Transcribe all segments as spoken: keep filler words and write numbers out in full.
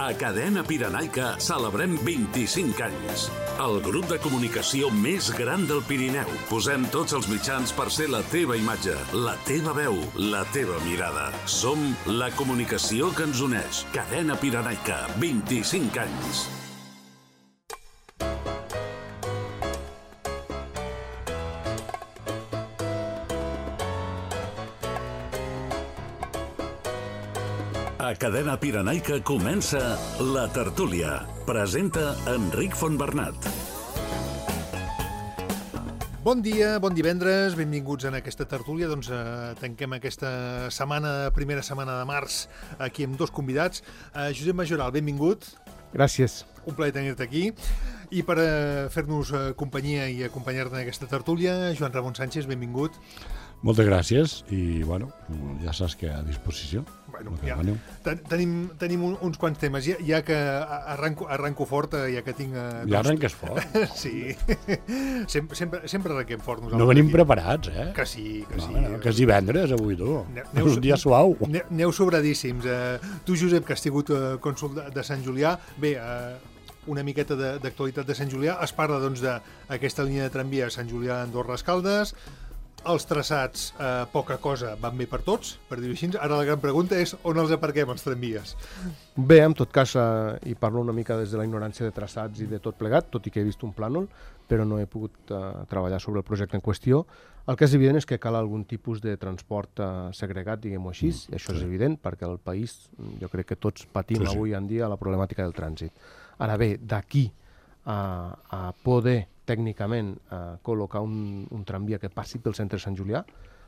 A Cadena Pirenaica celebrem vint-i-cinc anys. El grup de comunicació més gran del Pirineu. Posem tots els mitjans per ser la teva imatge, la teva veu, la teva mirada. Som la comunicació que ens uneix. Cadena Pirenaica, vint-i-cinc anys. A Cadena Pirenaica comença La Tertúlia. Presenta Enric Fontbernat. Bon dia, bon divendres, benvinguts en aquesta tertúlia. Doncs eh, tanquem aquesta setmana, primera setmana de març, aquí amb dos convidats. Eh, Josep Majoral, benvingut. Gràcies. Un plaer tenir-te aquí. I per eh, fer-nos eh, companyia i acompanyar-te en aquesta tertúlia, Joan Ramon Sánchez, benvingut. Moltes gràcies i, bueno, ja saps que a disposició. Bueno, ja, ten, tenim, tenim un, uns quants temes, ja, ja que arranco, arranco fort, ja que tinc... Eh, ja arrenques fort? Sí, sempre, sempre, sempre arrenquem fort nosaltres. No venim aquí. Preparats, eh? Que sí, que no, sí. No, que és divendres avui, tu. Neu, és un dia suau. Ne, neu sobradíssims. Eh, tu, Josep, que has tingut eh, cònsol de, de Sant Julià, bé... Eh, una miqueta d'actualitat de, de Sant Julià. Es parla doncs d'aquesta línia de tramvia Sant Julià Andorra Escaldes. Els traçats, eh, poca cosa, van bé per tots, per dir-ho així. Ara la gran pregunta és on els aparquem, els tramvies? Bé, en tot cas, eh, hi parlo una mica des de la ignorància de traçats i de tot plegat, tot i que he vist un plànol, però no he pogut eh, treballar sobre el projecte en qüestió. El que és evident és que cal algun tipus de transport eh, segregat, diguem-ho així, mm, i això sí. És evident, perquè el país, jo crec que tots patim sí, sí. avui en dia la problemàtica del trànsit. Ara bé, d'aquí a, a poder tècnicament eh, col·locar un, un tramvia que passi pel centre de Sant Julià,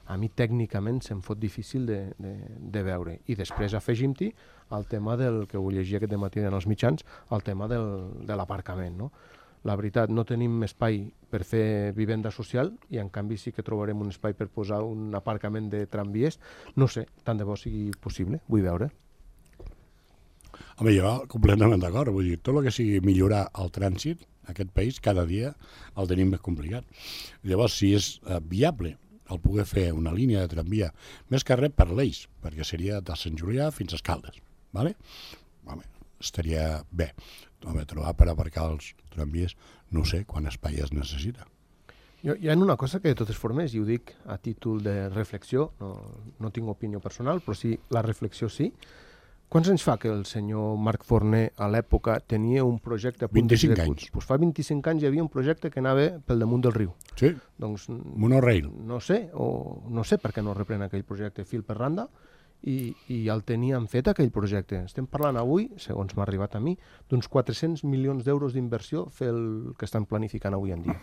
a mi tècnicament se'm fot difícil de, de, de veure. I després afegim-hi el tema del que ho llegia aquest dematí en els mitjans, el tema del, de l'aparcament, no? La veritat, no tenim espai per fer vivenda social i en canvi sí que trobarem un espai per posar un aparcament de tramvies. No sé, tant de bo sigui possible, vull veure. Home, jo completament d'acord. Vull dir, tot el que sigui millorar el trànsit, aquest país, cada dia el tenim més complicat. Llavors, si és eh, viable el poder fer una línia de tramvia, més que res per l'Eix, perquè seria de Sant Julià fins a Escaldes, ¿vale? Home, estaria bé. Home, trobar per aparcar els tramvies, no sé quant espai es necessita. Jo, hi ha una cosa que de totes formes, i ho dic a títol de reflexió, no, no tinc opinió personal, però sí, la reflexió sí. Quants anys fa que el senyor Marc Forner a l'època tenia un projecte... vint-i-cinc anys. Doncs fa vint-i-cinc anys hi havia un projecte que anava pel damunt del riu. Sí, doncs, monorail. No sé, o no sé per què no reprèn aquell projecte fil per randa i, i el tenien fet aquell projecte. Estem parlant avui, segons m'ha arribat a mi, d'uns quatre-cents milions d'euros d'inversió fer el que estan planificant avui en dia.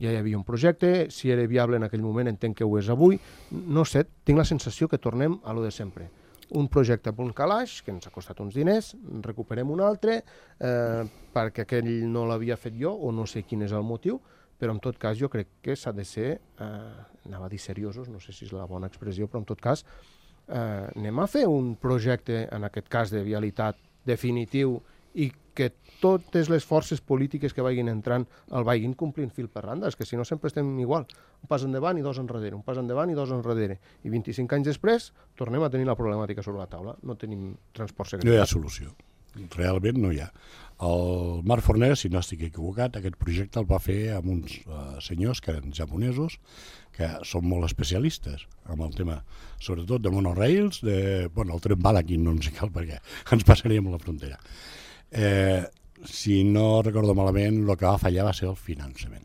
Ja hi havia un projecte, si era viable en aquell moment entenc que ho és avui. No sé, tinc la sensació que tornem a lo de sempre. Un projecte a punt calaix, que ens ha costat uns diners, recuperem un altre, eh, perquè aquell no l'havia fet jo, o no sé quin és el motiu, però en tot cas jo crec que s'ha de ser, eh, anava a dir seriosos, no sé si és la bona expressió, però en tot cas eh, anem a fer un projecte, en aquest cas de vialitat definitiu, i que totes les forces polítiques que vagin entrant el vagin complint fil per randa, és que si no sempre estem igual, un pas endavant i dos enrere, un pas endavant i dos enrere, i vint-i-cinc anys després tornem a tenir la problemàtica sobre la taula, no tenim transport segregat. No hi ha solució, realment no hi ha. El Marc Forner, si no estic equivocat, aquest projecte el va fer amb uns uh, senyors que eren japonesos, que són molt especialistes amb el tema, sobretot de monorails, de, bueno, el tren bala aquí no ens cal perquè ens passaríem la frontera. Eh, si no recordo malament, el que va fallar va ser el finançament.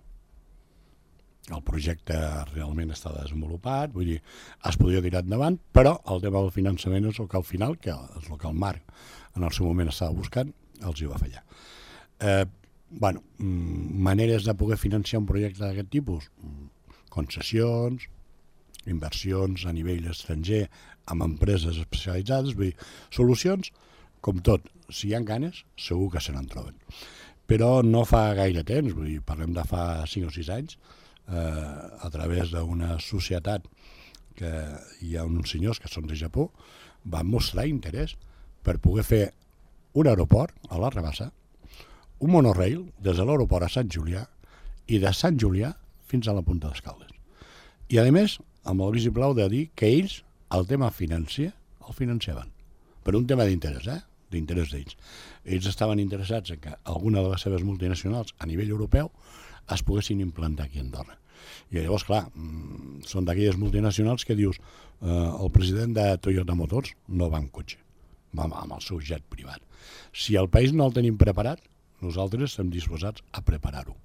El projecte realment està desenvolupat, vull dir, es podria tirar endavant, però el tema del finançament és el que al final, que és el que el Marc en el seu moment estava buscant, els hi va fallar. Eh, bueno, maneres de poder financiar un projecte d'aquest tipus, concessions, inversions a nivell estranger amb empreses especialitzades, vull dir, solucions, com tot, si hi ha ganes, segur que se n'en troben. Però no fa gaire temps, vull dir, parlem de fa cinc o sis anys, eh, a través d'una societat que hi ha uns senyors que són de Japó, van mostrar interès per poder fer un aeroport a la Rabassa, un monorail des de l'aeroport a Sant Julià i de Sant Julià fins a la Punta d'Escaldes. I a més, amb el vistiplau de dir que ells el tema financer el financiaven. Per un tema d'interès, eh? d'interès d'ells. Ells estaven interessats en que alguna de les seves multinacionals a nivell europeu es poguessin implantar aquí a Andorra. I llavors, clar, són d'aquelles multinacionals que dius eh, el president de Toyota Motors no va amb cotxe, va amb el seu jet privat. Si el país no el tenim preparat, nosaltres estem disposats a preparar-ho.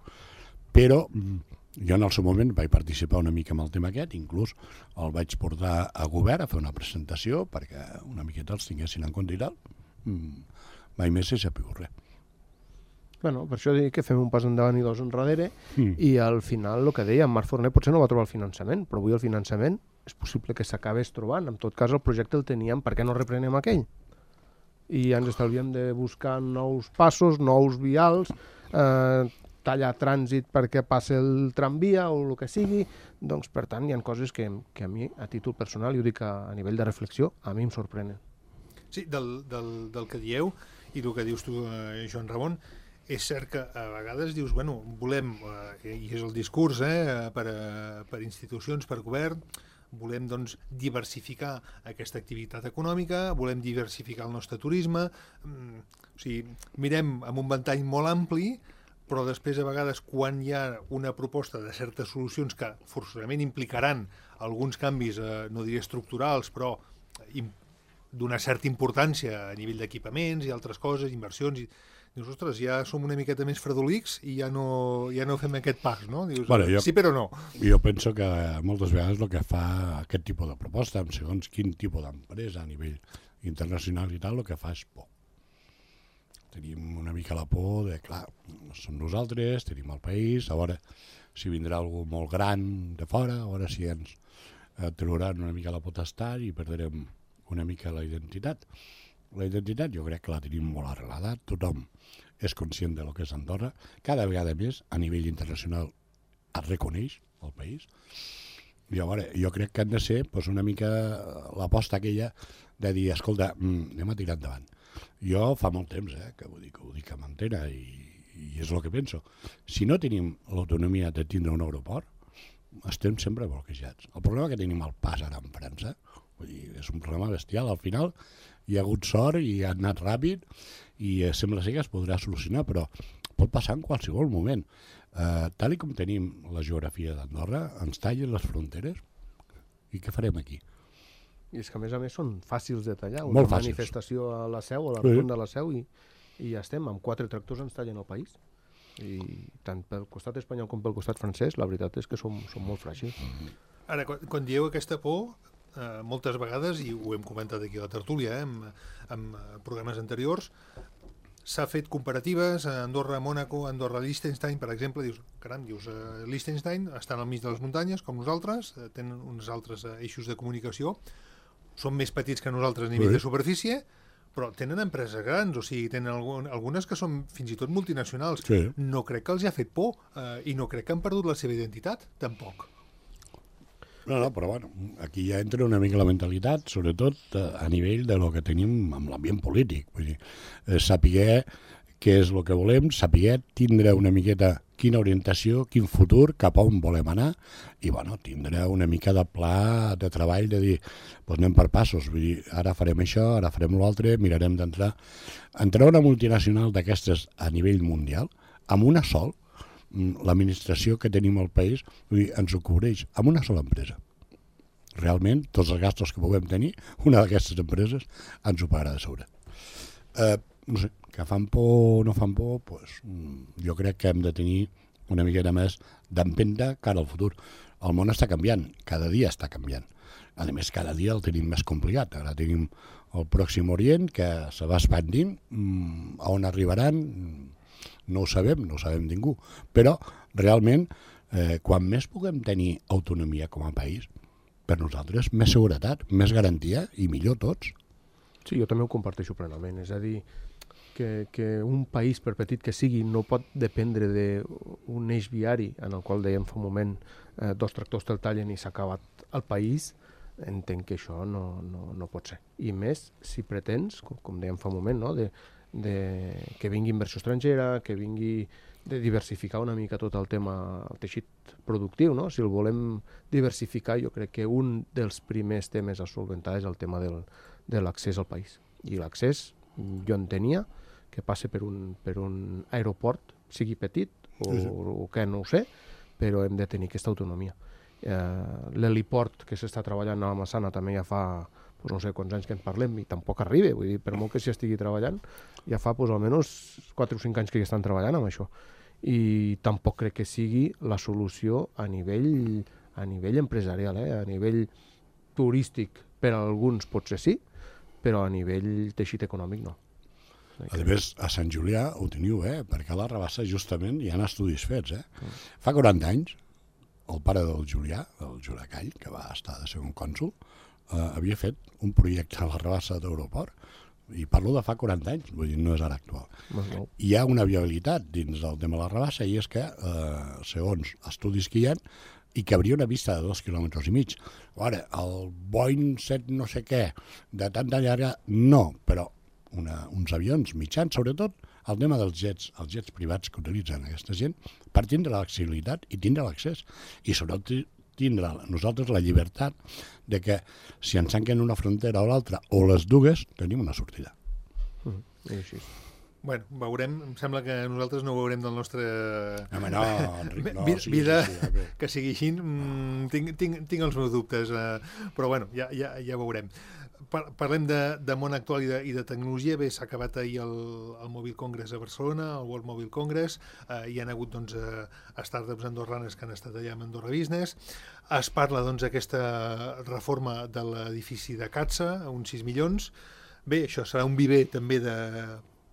Però jo en el seu moment vaig participar una mica en el tema aquest, inclús el vaig portar a govern a fer una presentació perquè una miqueta els tinguessin en compte i tal. Mai més s'ha sabut res. Bueno, per això dic que fem un pas endavant i dos enrere Mm. i al final el que deia, Marc Forner potser no va trobar el finançament, però avui el finançament és possible que s'acabés trobant. En tot cas el projecte el teníem, per què no reprenem aquell? I ens estalviem de buscar nous passos, nous vials, eh, tallar trànsit perquè passi el tramvia o el que sigui. Doncs, per tant, hi ha coses que, que a mi, a títol personal, i ho dic a, a nivell de reflexió, a mi em sorprenen. Sí, del, del, del que dieu i el que dius tu, eh, Joan Ramon, és cert que a vegades dius, bueno, volem, eh, i és el discurs eh, per, a, per institucions, per govern, volem doncs, diversificar aquesta activitat econòmica, volem diversificar el nostre turisme, mm, o sigui, mirem amb un ventall molt ampli, però després a vegades quan hi ha una proposta de certes solucions que forçosament implicaran alguns canvis, eh, no diré estructurals, però im, d'una certa importància a nivell d'equipaments i altres coses, inversions, i dius, ostres, ja som una miqueta més fredolics i ja no, ja no fem aquest pas, no? Dius, bueno, jo, sí però no. Jo penso que moltes vegades el que fa aquest tipus de proposta, en segons quin tipus d'empresa a nivell internacional i tal, el que fa és por. Tenim una mica la por de, clar, som nosaltres, tenim el país, a veure si vindrà algú molt gran de fora, a veure si ens eh, trauran una mica la potestat i perdrem una mica la identitat. La identitat jo crec que la tenim molt arrelada, tothom és conscient de lo que és Andorra, cada vegada més a nivell internacional es reconeix el país, i a veure, jo crec que han de ser pues, una mica l'aposta aquella de dir, escolta, anem a tirar endavant. Jo fa molt temps eh, que ho dic, ho dic amb antena i, i és el que penso. Si no tenim l'autonomia de tindre un aeroport, estem sempre bloquejats. El problema que tenim al pas ara en França, vull dir, és un problema bestial, al final hi ha hagut sort i ha anat ràpid i eh, sembla ser que es podrà solucionar, però pot passar en qualsevol moment. Eh, tal i com tenim la geografia d'Andorra, ens tallen les fronteres i què farem aquí? I és que a més a més són fàcils de tallar. Molt Una fàcils. manifestació a la Seu, a la Sí. ronda de la Seu, i, i ja estem, amb quatre tractors ens tallen el país. I tant pel costat espanyol com pel costat francès, la veritat és que som, som molt fràgils. Ara, quan, quan dieu aquesta por, eh, moltes vegades, i ho hem comentat aquí a la tertúlia, eh, amb, amb programes anteriors, s'ha fet comparatives a Andorra, Mònaco, Andorra, Liechtenstein, per exemple, dius, caram, dius, eh, Liechtenstein estan al mig de les muntanyes, com nosaltres, eh, tenen uns altres eh, eixos de comunicació, són més petits que nosaltres a nivell Sí. de superfície, però tenen empreses grans, o sigui, tenen algun, algunes que són fins i tot multinacionals. Sí. No crec que els hi ha fet por, eh, i no crec que han perdut la seva identitat, tampoc. No, no, però bueno, aquí ja entra una mica la mentalitat, sobretot eh, a nivell de lo que tenim amb l'ambient polític. Vull dir, eh, saber què és el que volem, saber tindre una miqueta quina orientació, quin futur, cap a on volem anar, i bueno, tindre una mica de pla de treball de dir, doncs anem per passos, vull dir, ara farem això, ara farem l'altre, mirarem d'entrar. Entrar una multinacional d'aquestes a nivell mundial, amb una sol, l'administració que tenim al país, vull dir, ens ho cobreix amb una sola empresa. Realment, tots els gastos que puguem tenir, una d'aquestes empreses ens ho pagarà de sobre. Eh, no sé, que fan por o no fan por, pues, jo crec que hem de tenir una miqueta més d'empenta cara al futur. El món està canviant, cada dia està canviant. A més, cada dia el tenim més complicat. Ara tenim el Pròxim Orient, que se va expandint, a on arribaran no ho sabem, no ho sabem ningú, però realment, eh, quan més puguem tenir autonomia com a país, per nosaltres més seguretat, més garantia i millor tots. Sí, jo també ho comparteixo plenament, és a dir, que, que un país, per petit que sigui, no pot dependre d'un eix viari en el qual dèiem fa un moment eh, dos tractors te'l tallen i s'ha acabat el país, entenc que això no, no, no pot ser. I més si pretens, com, com dèiem fa un moment, no? de, de que vingui inversió estrangera, que vingui de diversificar una mica tot el tema, el teixit productiu, no? Si el volem diversificar, jo crec que un dels primers temes a solventar és el tema del, de l'accés al país. I l'accés jo entenia, que passa per un, per un aeroport, sigui petit o, sí, sí. o que no ho sé, però hem de tenir aquesta autonomia. Eh, L'heliport que s'està treballant a la Massana també ja fa, pues no sé quants anys que en parlem i tampoc arriba, vull dir, per molt que s'hi estigui treballant, ja fa pues, almenys quatre o cinc anys que hi estan treballant amb això. I tampoc crec que sigui la solució a nivell, a nivell empresarial, eh? A nivell turístic per a alguns potser sí, però a nivell teixit econòmic no. A més, a Sant Julià ho teniu, eh? Perquè a la Rabassa justament hi ha estudis fets. Eh? Mm. Fa quaranta anys, el pare del Julià, del Julià Call, que va estar de segon cònsol, eh, havia fet un projecte a la Rabassa d'aeroport, i parlo de fa quaranta anys, vull dir, no és ara actual. Mm. Hi ha una viabilitat dins del tema de la Rabassa, i és que, eh, segons estudis que hi ha, i que hauria una vista de dos quilòmetres i mig. Ara, el Boeing set no sé què, de tanta llarga, no, però Una, uns avions mitjans, sobretot el tema dels jets, els jets privats que utilitzen aquesta gent, per tindre l'accessibilitat i tindre l'accés. I sobretot tindre nosaltres la llibertat de que si ens tanquen una frontera o l'altra, o les dues, tenim una sortida. Mm, és així. Bueno, veurem, em sembla que nosaltres no ho veurem del nostre... Home, no, Enric, no, vida, sí, vida sí, sí, okay. Que sigui així, mm, tinc, tinc, tinc els meus dubtes, eh, però bueno, ja, ja, ja veurem. Parlem de, de món actual i de, i de tecnologia. Bé, s'ha acabat ahir el, el Mobile Congress a Barcelona, el World Mobile Congress. Eh, hi ha hagut doncs, eh, startups andorranes que han estat allà amb Andorra Business. Es parla doncs d'aquesta reforma de l'edifici de Catsa, uns sis milions. Bé, això serà un viver també de,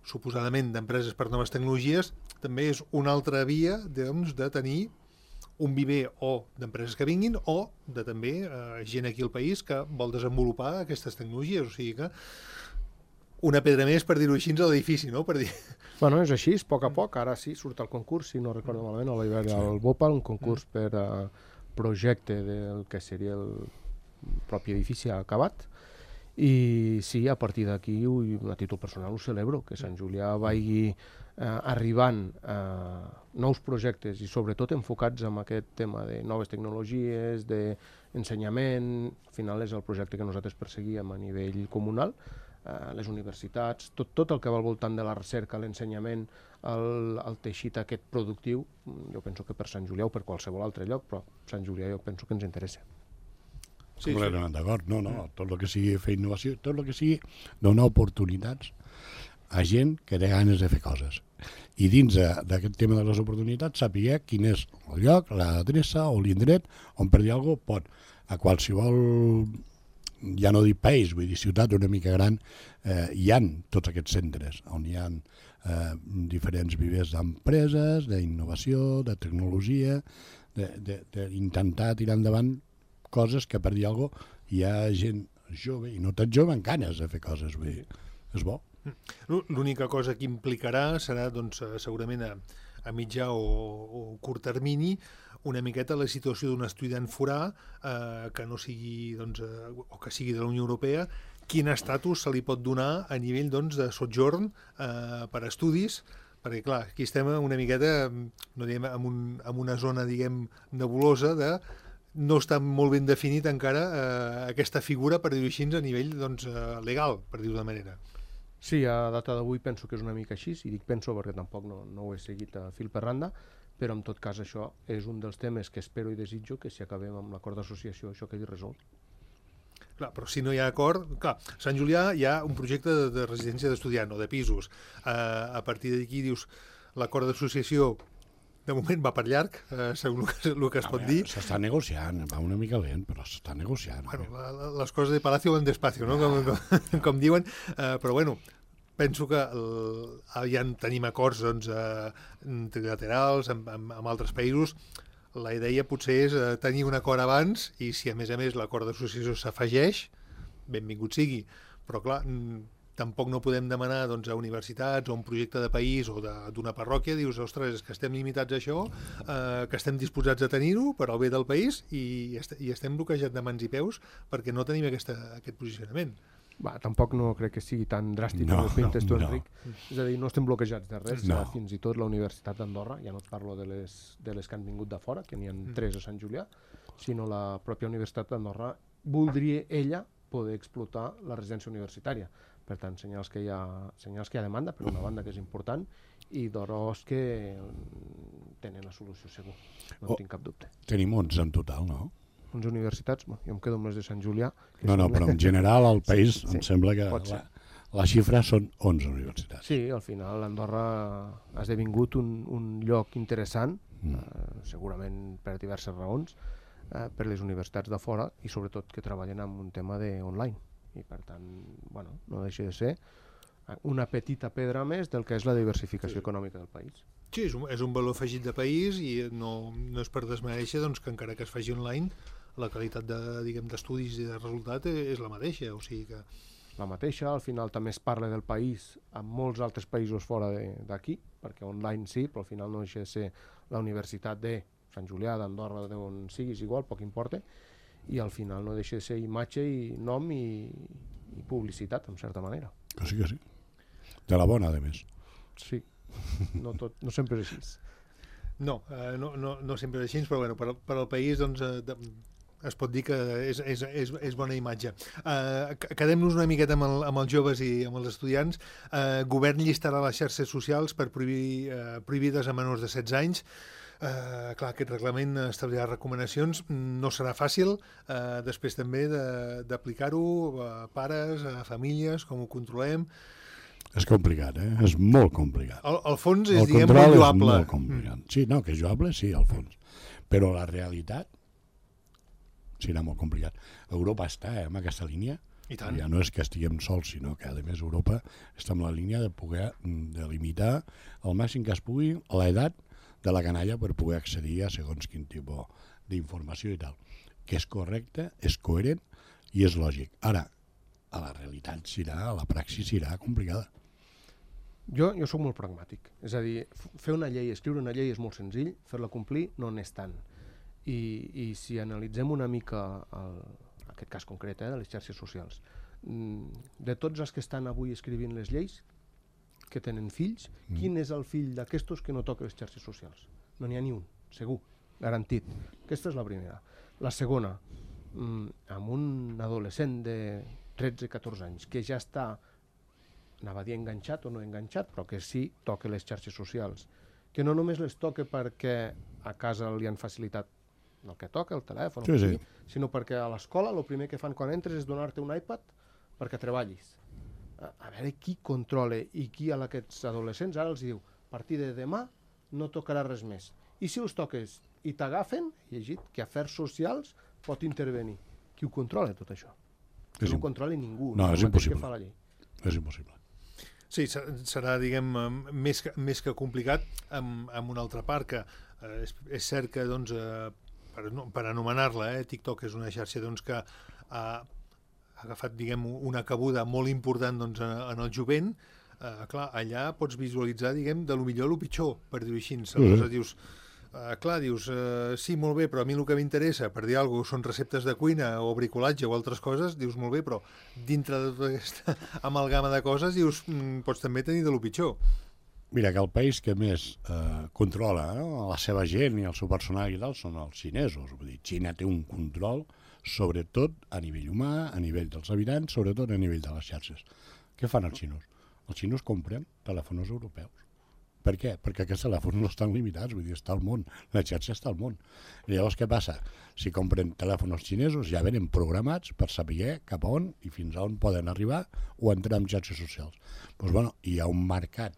suposadament, d'empreses per noves tecnologies. També és una altra via doncs, de tenir un viver o d'empreses que vinguin o de també eh, gent aquí al país que vol desenvolupar aquestes tecnologies. O sigui que una pedra més, per dir-ho així, a l'edifici, no? Per dir... Bueno, és així, a poc a poc. Ara sí, surt el concurs, si no recordo malament, a l'hivern al Bopa, un concurs per a projecte del que seria el propi edifici acabat. I sí, a partir d'aquí, a títol personal, ho celebro, que Sant Julià vagi eh, arribant a nous projectes i sobretot enfocats en aquest tema de noves tecnologies, d'ensenyament. Al final és el projecte que nosaltres perseguíem a nivell comunal, eh, les universitats, tot, tot el que va al voltant de la recerca, l'ensenyament, el, el teixit aquest productiu. Jo penso que per Sant Julià o per qualsevol altre lloc, però Sant Julià jo penso que ens interessa. Sí, completament sí. D'acord, no, no, tot el que sigui fer innovació, tot el que sigui donar oportunitats a gent que té ganes de fer coses. I dins d'aquest tema de les oportunitats saber quin és el lloc, l'adreça o l'indret on per dir alguna cosa pot a qualsevol, ja no dic país, vull dir ciutat una mica gran, eh, hi ha tots aquests centres on hi ha eh, diferents vivers d'empreses, d'innovació, de tecnologia, d'intentar tirar endavant coses que, per dir alguna cosa, hi ha gent jove, i no tan jove, amb ganes de fer coses, vull dir, és bo. L'única cosa que implicarà serà, doncs, segurament a, a mitjà o, o curt termini, una miqueta la situació d'un estudiant forà eh, que no sigui, doncs, eh, o que sigui de la Unió Europea, quin estatus se li pot donar a nivell, doncs, de sotjorn eh, per estudis, perquè, clar, aquí estem una miqueta, no diguem, en, un, en una zona, diguem, nebulosa de no està molt ben definit encara eh, aquesta figura, per dir-ho així, a nivell doncs, eh, legal, per dir-ho de manera. Sí, a data d'avui penso que és una mica així, i dic penso perquè tampoc no, no ho he seguit a fil per randa, però en tot cas això és un dels temes que espero i desitjo que si acabem amb l'acord d'associació això quedi resolt. Clar, però si no hi ha acord... Clar, a Sant Julià hi ha un projecte de, de residència d'estudiant o de pisos. Eh, a partir d'aquí dius l'acord d'associació de moment va per llarg, eh, segons el que, el que es pot dir. S'està negociant, va una mica lent, però s'està negociant. Bueno, la, la, les coses de Palacio van despacio, no? Com, com, com diuen, eh, però bueno, penso que el, ja tenim acords doncs, eh, trilaterals amb, amb, amb altres països. La idea potser és eh, tenir un acord abans i si a més a més l'acord d'associació s'afegeix, benvingut sigui. Però clar, tampoc no podem demanar doncs, a universitats o a un projecte de país o d'una parròquia, dius, ostres, és que estem limitats a això, eh, que estem disposats a tenir-ho per al bé del país i, est i estem bloquejats de mans i peus perquè no tenim aquesta, aquest posicionament. Va, tampoc no crec que sigui tan dràstic no, com ho pintes tu, no. Enric. És a dir, no estem bloquejats de res, no. Fins i tot la Universitat d'Andorra, ja no et parlo de les, de les que han vingut de fora, que n'hi ha mm. tres a Sant Julià, sinó la pròpia Universitat d'Andorra voldria ella poder explotar la residència universitària. Per tant, senyals que hi ha, senyals que hi ha demanda, per una banda, que és important, i d'oros que tenen la solució segur, no Oh, en tinc cap dubte. Tenim onze en total, no? onze universitats, bueno, jo em quedo amb les de Sant Julià. Que No, no, són- però en general al país Sí, sí, em sembla que pot la, ser. la xifra són onze universitats. Sí, al final Andorra ha esdevingut un, un lloc interessant, Mm. eh, segurament per diverses raons, eh, per les universitats de fora i sobretot que treballen amb un tema de online. I per tant, bueno, no deixa de ser una petita pedra més del que és la diversificació econòmica del país. Sí, és un, és un valor afegit de país i no, no és per desmereixer doncs, que encara que es faci online la qualitat de, diguem, d'estudis i de resultat és la mateixa, o sigui que... La mateixa, al final també es parla del país amb molts altres països fora d'aquí, perquè online sí, però al final no deixa de ser la universitat de Sant Julià, d'Andorra, d'on siguis, igual, poc importa, i al final no deixa de ser imatge i nom i, i publicitat, en certa manera. Que sí, que sí. De la bona, a més. Sí, no, tot, no sempre és així. No, eh, no, no, no sempre és així, però bueno, per, per al país doncs, eh, de, es pot dir que és, és, és, és bona imatge. Eh, Quedem-nos una miqueta amb, el, amb els joves i amb els estudiants. Eh, govern llistarà les xarxes socials per prohibir, eh, prohibides a menors de setze anys. Eh, clar, aquest reglament establirà recomanacions. No serà fàcil, eh, després també d'aplicar-ho a pares, a famílies, com ho controlem. És complicat, eh? És molt complicat. El, el fons és, El diguem, control molt és lloable. molt complicat. Sí, no, que és lloable, sí, al fons. Però la realitat serà molt complicat. Europa està eh, en aquesta línia. I tant. Ja no és que estiguem sols, sinó que, a més, Europa està en la línia de poder de limitar al màxim que es pugui l'edat de la canalla per poder accedir a segons quin tipus d'informació i tal. Que és correcte, és coherent i és lògic. Ara, a la realitat serà, a la praxi serà complicada. Jo, jo sóc molt pragmàtic. És a dir, fer una llei, escriure una llei és molt senzill, fer-la complir no n'és tant. I, i si analitzem una mica el, aquest cas concret eh, de les xarxes socials, de tots els que estan avui escrivint les lleis, que tenen fills, mm. quin és el fill d'aquestos que no toca les xarxes socials? No n'hi ha ni un, segur, garantit. Aquesta és la primera. La segona, amb un adolescent de tretze catorze anys que ja està, anava a dir enganxat o no enganxat, però que sí toca les xarxes socials, que no només les toca perquè a casa li han facilitat el que toca, el telèfon, sí, sí. sinó perquè a l'escola el primer que fan quan entres és donar-te un iPad perquè treballis. A, a veure qui controla i qui a aquests adolescents ara els diu a partir de demà no tocarà res més. I si els toques i t'agafen, he llegit que Afers Socials pot intervenir. Qui ho controla tot això? Que no ho controla ningú. No, no és impossible. Que fa la llei. És impossible. Sí, serà, diguem, més que, més que complicat amb, amb una altra part, que eh, és, és cert que, doncs, eh, per, per anomenar-la, eh, TikTok és una xarxa doncs, que ha agafat, diguem, una cabuda molt important doncs, en el jovent. Eh, clar, allà pots visualitzar, diguem, de lo millor a lo pitjor, per dir-ho així. Aleshores dius, eh, clar, dius, eh, sí, molt bé, però a mi el que m'interessa, per dir alguna cosa, són receptes de cuina o bricolatge o altres coses, dius, molt bé, però dintre de tota aquesta amalgama de coses, dius, mm, pots també tenir de lo pitjor. Mira, que el país que més eh, controla eh, la seva gent i el seu personal i tal són els xinesos. Vull dir, Xina té un control sobretot a nivell humà, a nivell dels habitants, sobretot a nivell de les xarxes. Què fan els xinos? Els xinos compren telèfons europeus. Per què? Perquè aquests telèfons no estan limitats, vull dir, està al món, la xarxa està al món. I llavors què passa? Si compren telèfons xinesos ja venen programats per saber cap a on i fins a on poden arribar o entrar en xarxes socials. Doncs bueno, hi ha un mercat,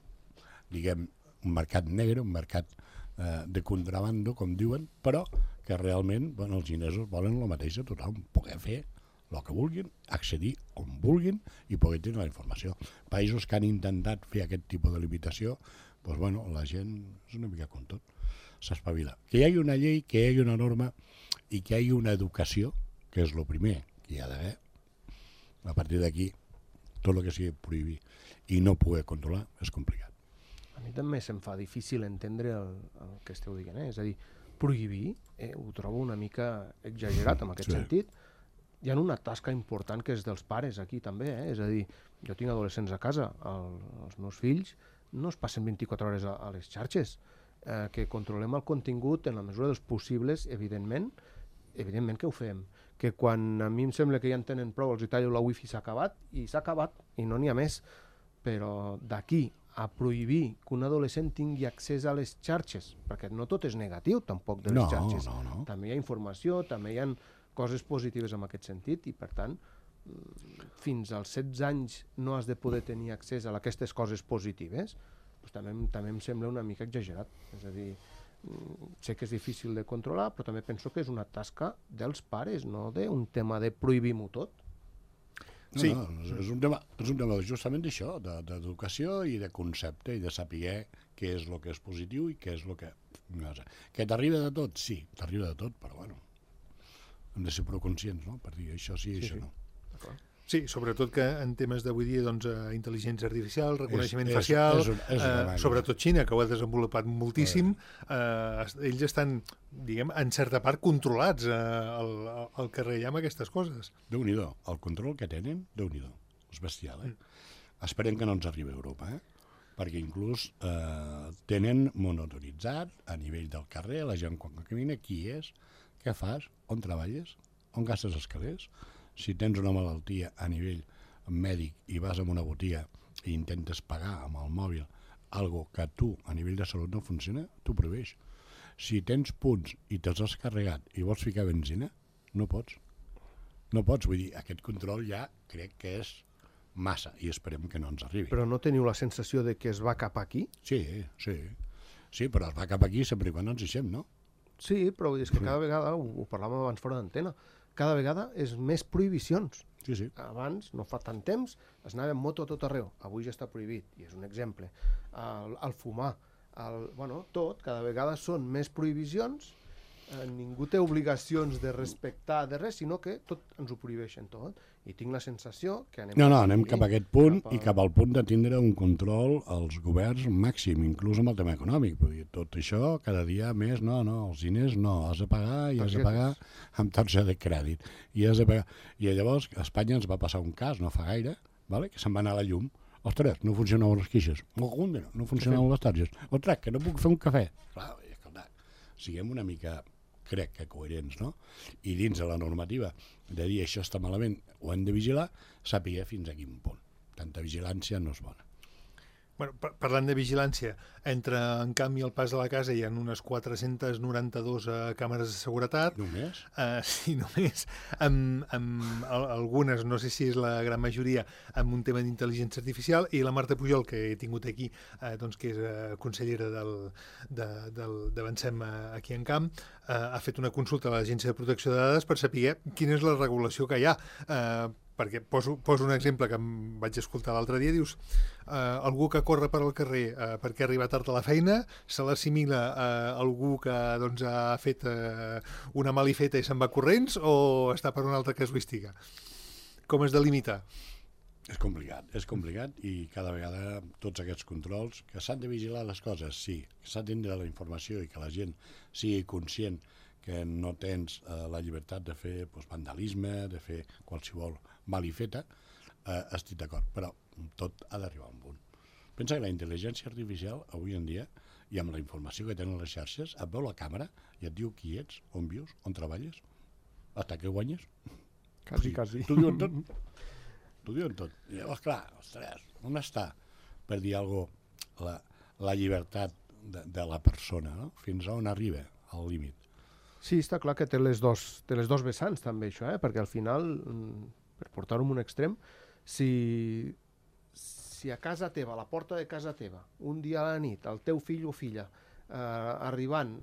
diguem, un mercat negre, un mercat eh, de contrabando, com diuen, però que realment bueno, els xinesos volen el mateix a tothom, poder fer el que vulguin, accedir on vulguin i poder tenir la informació. Països que han intentat fer aquest tipus de limitació, doncs, bueno, la gent és una mica com tot, s'espavila. Que hi hagi una llei, que hi hagi una norma i que hi hagi una educació, que és el primer que hi ha d'haver. A partir d'aquí, tot el que sigui prohibir i no poder controlar és complicat. A mi també se'm fa difícil entendre el, el que esteu dient, eh? És a dir, prohibir, eh, ho trobo una mica exagerat en aquest Sí. sentit. Hi ha una tasca important que és dels pares aquí també, eh? És a dir, jo tinc adolescents a casa, el, els meus fills no es passen vint-i-quatre hores a, a les xarxes, eh, que controlem el contingut en la mesura dels possibles, evidentment, evidentment que ho fem, que quan a mi em sembla que ja en tenen prou, els hi tallo la wifi, s'ha acabat, i s'ha acabat, i no n'hi ha més. Però d'aquí a prohibir que un adolescent tingui accés a les xarxes, perquè no tot és negatiu tampoc de les no, xarxes, no, no. també hi ha informació, també hi ha coses positives en aquest sentit, i per tant fins als setze anys no has de poder tenir accés a aquestes coses positives, doncs també, també em sembla una mica exagerat. És a dir, sé que és difícil de controlar, però també penso que és una tasca dels pares, no d'un tema de prohibir-ho tot. No, sí. no, és un tema, és un tema justament d'això, d'educació i de concepte i de saber què és el que és positiu i què és el que... No sé. Que t'arriba de tot? Sí, t'arriba de tot, però bueno, hem de ser prou conscients, no?, per dir això sí i sí, això sí. no. Sí, sobretot que en temes d'avui dia, doncs, eh, intel·ligència artificial, reconeixement és, facial, és, és, és eh, sobretot Xina, que ho ha desenvolupat moltíssim, eh, ells estan, diguem, en certa part controlats eh, al, al carrer ja amb aquestes coses. Déu-n'hi-do, el control que tenen, Déu-n'hi-do, és bestial, eh? Mm. Esperem que no ens arribi a Europa, eh? Perquè inclús eh, tenen monotonitzat a nivell del carrer, la gent quan camina, qui és, què fas, on treballes, on gastes els calés. Si tens una malaltia a nivell mèdic i vas a una botiga i intentes pagar amb el mòbil algo que tu a nivell de salut no funciona, tu prohibeix. Si tens punts i te'ls has carregat i vols ficar benzina, no pots. No pots, vull dir, aquest control ja crec que és massa i esperem que no ens arribi. Però no teniu la sensació de que es va cap aquí? Sí, sí. Sí, però es va cap aquí sempre i quan ens deixem, no? Sí, però és que cada vegada, ho, ho parlàvem abans fora d'antena, cada vegada és més prohibicions. Sí, sí. Abans, no fa tant temps, es anava en moto a tot arreu. Avui ja està prohibit, i és un exemple. El, el fumar, el, bueno, tot, cada vegada són més prohibicions, eh, ningú té obligacions de respectar de res, sinó que tot ens ho prohibeixen tot. I tinc la sensació que anem... No, no, anem cap a aquest punt cap a... i cap al punt de tindre un control als governs màxim, inclús amb el tema econòmic. Vull dir, tot això, cada dia més, no, no, els diners no, has de pagar i has de pagar amb targeta de crèdit. I has de pagar... I llavors a Espanya ens va passar un cas, no fa gaire, vale? Que se'n va anar a la llum. Ostres, no funcionaven les queixes. No funcionaven les targetes. Ostres, que no puc fer un cafè. Clar, escolta, siguem una mica... crec que coherents, no? I dins de la normativa de dir això està malament, ho hem de vigilar, sàpiga fins a quin punt. Tanta vigilància no és bona. Bueno, par parlant de vigilància, entre en canvi el pas de la casa hi ha unes quatre-centes noranta-dues uh, càmeres de seguretat. Només? Uh, sí, només. Amb, amb algunes, no sé si és la gran majoria, amb un tema d'intel·ligència artificial, i la Marta Pujol, que he tingut aquí, uh, doncs, que és uh, consellera del, de, del, d'Avancem uh, aquí en Camp, uh, ha fet una consulta a l'Agència de Protecció de Dades per saber quina és la regulació que hi ha. Uh, perquè poso, poso un exemple que em vaig escoltar l'altre dia, dius, eh, algú que corre per al carrer eh, perquè arriba tard a la feina, se l'assimila a algú que doncs, ha fet eh, una malifeta i se'n va corrents, o està per una altra casuística? Com es delimita? És complicat, és complicat, i cada vegada tots aquests controls, que s'han de vigilar les coses, sí, que s'ha de tindre la informació i que la gent sigui conscient que no tens eh, la llibertat de fer doncs, vandalisme, de fer qualsevol malifeta, eh, estic d'acord, però tot ha d'arribar a un punt. Pensa que la intel·ligència artificial, avui en dia, i amb la informació que tenen les xarxes, et veu la càmera i et diu qui ets, on vius, on treballes, hasta que guanyes. Quasi, quasi. T'ho diuen tot. T'ho diuen tot. I llavors, clar, ostres, on està, per dir alguna cosa, la, la llibertat de, de la persona, no? Fins a on arriba al límit. Sí, està clar que té les dos, té les dos vessants també això, eh? Perquè al final, per portar-ho a un extrem, si, si a casa teva, a la porta de casa teva, un dia a la nit, el teu fill o filla, eh, arribant,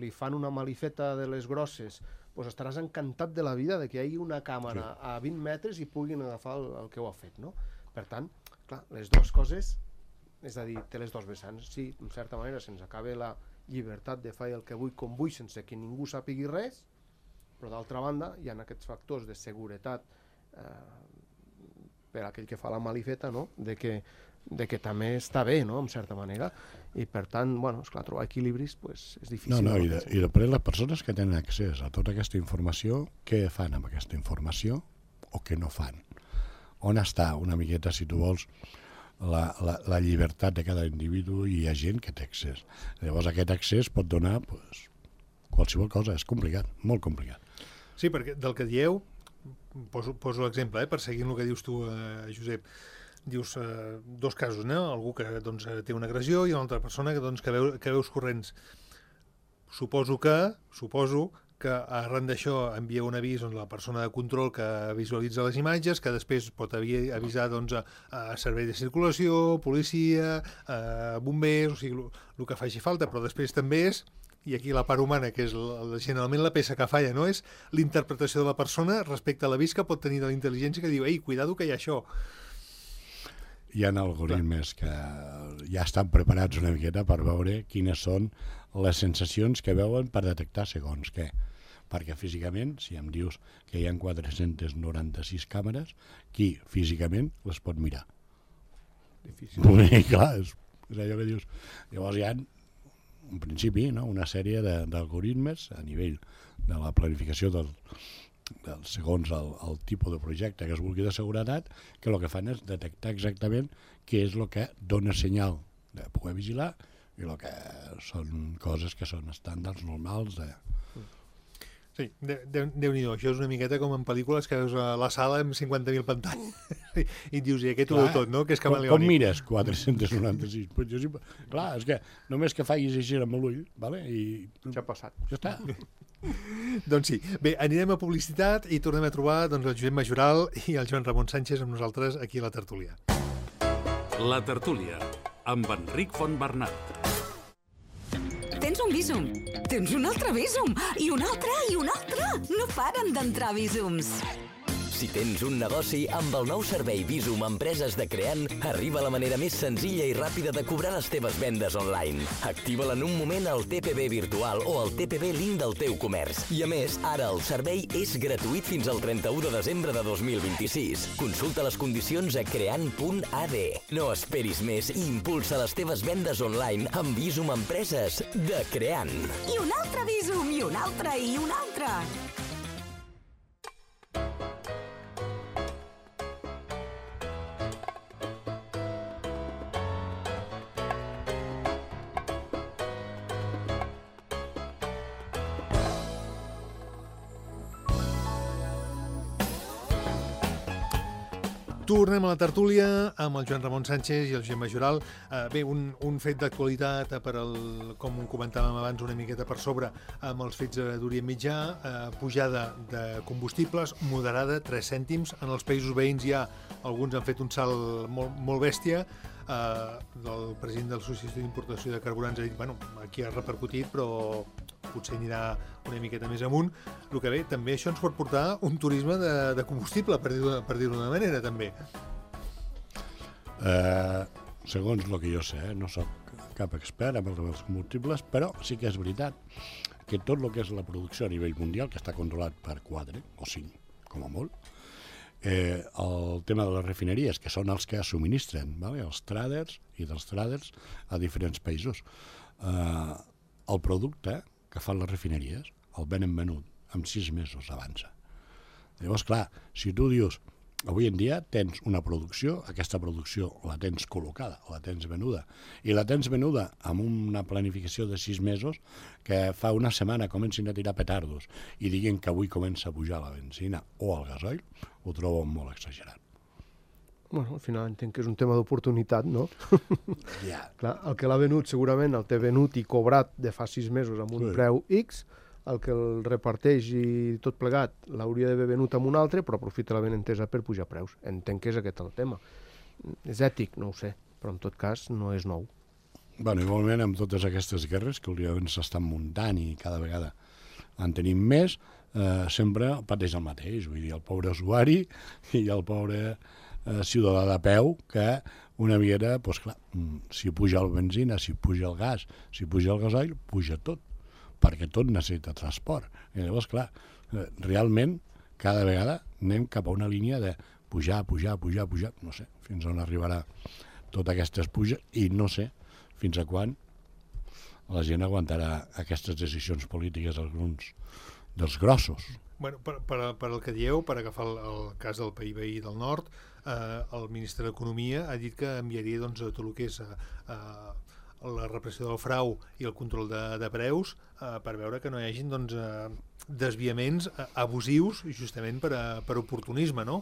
li fan una malifeta de les grosses, doncs estaràs encantat de la vida de que hi hagi una càmera sí. a vint metres i puguin agafar el, el que ho ha fet, no? Per tant, clar, les dues coses, és a dir, té les dos vessants. Sí, en certa manera se'ns acaba la llibertat de fer el que vull com vull sense que ningú sàpigui res, però d'altra banda hi ha aquests factors de seguretat eh, per aquell que fa la malifeta, no? de, que, de que també està bé, no? en certa manera, i per tant, bueno, esclar, trobar equilibris pues, és difícil. No, no, i, de, i després les persones que tenen accés a tota aquesta informació, què fan amb aquesta informació o què no fan? On està una miqueta, si tu vols, La, la, la llibertat de cada individu, i hi ha gent que té accés. Llavors aquest accés pot donar pues, qualsevol cosa, és complicat, molt complicat. Sí, perquè del que dieu, poso, poso l'exemple, eh, per seguir el que dius tu, eh, Josep, dius eh, dos casos, no? Algú que doncs, té una agressió i una altra persona que, doncs, que, veu, que veus corrents. Suposo que, suposo que arran d'això envia un avís a la persona de control que visualitza les imatges, que després pot avisar doncs, a, a servei de circulació, policia, a bombers, o sigui, el que faci falta, però després també és, i aquí la part humana, que és la, generalment la peça que falla, no? És l'interpretació de la persona respecte a l'avís que pot tenir de la intel·ligència que diu, ei, cuidado que hi ha això. Hi ha algoritmes que ja estan preparats una miqueta per veure quines són les sensacions que veuen per detectar segons què. Perquè físicament, si em dius que hi ha quatre-centes noranta-sis càmeres, qui físicament les pot mirar? Difícil. I clar, és, és allò que dius. Llavors hi ha, en principi, no, una sèrie d'algoritmes a nivell de la planificació del, del segons el, el tipus de projecte que es vulgui de seguretat, que el que fan és detectar exactament què és el que dona senyal de poder vigilar i el que són coses que són estàndards normals de... Sí, Déu-n'hi-do, això és una miqueta com en pel·lícules que veus a la sala amb cinquanta mil pantalles i et dius, i aquest ho veu tot, no? Que és camaleònic. Com, com mires quatre-centes noranta-sis? Pues jo sí, clar, és que només que facis així amb l'ull, vale? I ja ha passat. Ja està. Doncs sí. Bé, anirem a publicitat i tornem a trobar doncs, el Josep Majoral i el Joan Ramon Sánchez amb nosaltres aquí a la tertúlia. La tertúlia, amb Enric Fontbernat. Tens un Bizum, tens un altre Bizum, i un altre, i un altre. No paren d'entrar Bizums. Si tens un negoci, amb el nou servei Bizum Empreses de Creant, arriba la manera més senzilla i ràpida de cobrar les teves vendes online. Activa-la en un moment al T P B virtual o al T P B link del teu comerç. I a més, ara el servei és gratuït fins al trenta-u de desembre de dos mil vint-i-sis. Consulta les condicions a creant punt a d. No esperis més i impulsa les teves vendes online amb Bizum Empreses de Creant. I un altre Bizum, i un altre, i un altre. Tornem a la tertúlia amb el Joan Ramon Sánchez i el Josep Majoral. Uh, bé, un, un fet d'actualitat, per el, com comentàvem abans una miqueta per sobre, amb els fets d'Orient Mitjà, uh, pujada de combustibles moderada, tres cèntims. En els països veïns ja alguns han fet un salt molt, molt bèstia. Uh, el president de l'Associació d'Importació de Carburants ha dit, bueno, aquí ha repercutit, però potser anirà una miqueta més amunt. El que bé, també això ens pot portar un turisme de, de combustible, per dir-ho per dir-ho d'una manera, també. Uh, segons el que jo sé, eh, no soc cap expert amb els combustibles, però sí que és veritat que tot el que és la producció a nivell mundial, que està controlat per quatre o cinc, com a molt, eh, el tema de les refineries, que són els que subministren, vale? Els traders i dels traders a diferents països. Eh, el producte que fan les refineries el venen venut amb sis mesos avança. Llavors, clar, si tu dius, avui en dia tens una producció, aquesta producció la tens col·locada, la tens venuda, i la tens venuda amb una planificació de sis mesos que fa una setmana comencin a tirar petardos i diguin que avui comença a pujar la benzina o el gasoil, ho trobo molt exagerat. Bueno, al final entenc que és un tema d'oportunitat, no? Ja. Clar, el que l'ha venut segurament el té venut i cobrat de fa sis mesos amb un Sí. preu X, el que el reparteix i tot plegat l'hauria d'haver venut amb un altre, però aprofita la benentesa per pujar preus. Entenc que és aquest el tema. És ètic, no ho sé, però en tot cas no és nou. Bueno, igualment amb totes aquestes guerres que últimament s'estan muntant i cada vegada en tenim més, eh, sempre pateix el mateix, vull dir, el pobre usuari i el pobre eh, ciutadà de peu que una miqueta, doncs clar, si puja el benzina, si puja el gas, si puja el gasoil, puja tot, perquè tot necessita transport. I llavors, clar, eh, realment cada vegada anem cap a una línia de pujar, pujar, pujar, pujar, no sé, fins on arribarà totes aquestes puges i no sé fins a quan la gent aguantarà aquestes decisions polítiques alguns dels grossos. Bueno, per, per, per el que dieu, per agafar el, el cas del país veí del nord, eh, el ministre d'Economia ha dit que enviaria doncs, tot el que és eh, la repressió del frau i el control de, de preus eh, per veure que no hi hagin doncs, eh, desviaments abusius justament per, a, per oportunisme, no?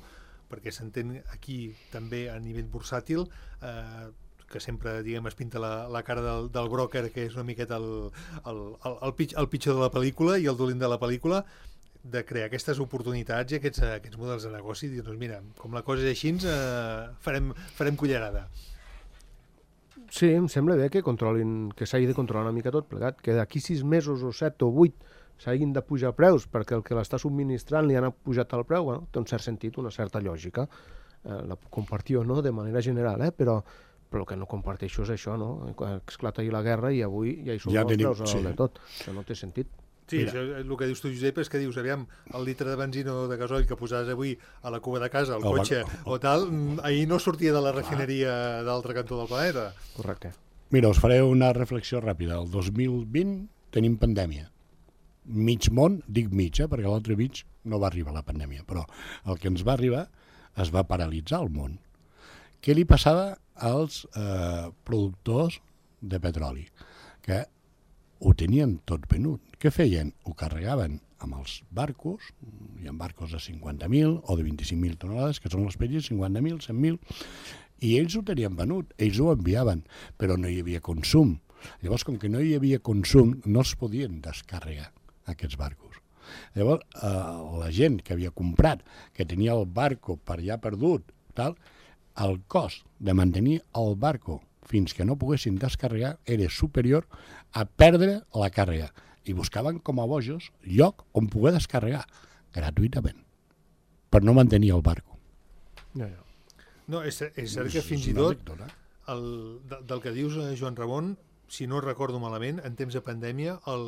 Perquè s'entén aquí també a nivell bursàtil eh, que sempre, diguem, es pinta la, la cara del, del broker, que és una miqueta el, el, el, el, pitj, el pitjor de la pel·lícula i el dolent de la pel·lícula, de crear aquestes oportunitats i aquests, aquests models de negoci i dir, doncs mira, com la cosa és així, eh, farem, farem cullerada. Sí, em sembla bé que controlin, que s'hagi de controlar una mica tot plegat, que d'aquí sis mesos o set o vuit s'hagin de pujar preus perquè el que l'està subministrant li han pujat el preu, bueno, té un cert sentit, una certa lògica. Eh, la puc compartir o no de manera general, eh? però però el que no comparteixo és això, no? Esclata ahir la guerra i avui ja hi som ja els tenim, preus a sí. de tot. Això no té sentit. Sí, això, el que dius tu, Josep, és que dius, aviam, el litre de benzina o de gasoil que posaves avui a la cuba de casa, al cotxe va... o tal, ahir no sortia de la refineria ah. d'altre cantó del planeta. Correcte. Mira, us faré una reflexió ràpida. El dos mil vint tenim pandèmia. Mig món, dic mig, eh, perquè l'altre mig no va arribar la pandèmia, però el que ens va arribar es va paralitzar el món. Què li passava als eh, productors de petroli? Que ho tenien tot venut. Què feien? Ho carregaven amb els barcos, hi ha barcos de cinquanta mil o de vint-i-cinc mil tonelades, que són els petits, cinquanta mil, cent mil, i ells ho tenien venut, ells ho enviaven, però no hi havia consum. Llavors, com que no hi havia consum, no els podien descarregar, aquests barcos. Llavors, eh, la gent que havia comprat, que tenia el barco per allà perdut, tal, el cost de mantenir el barco fins que no poguessin descarregar era superior a perdre la càrrega. I buscaven com a bojos lloc on poder descarregar gratuïtament per no mantenir el barco. No, no. No, és, és cert que fins i tot el, de, del que dius, Joan Ramon, si no recordo malament, en temps de pandèmia el,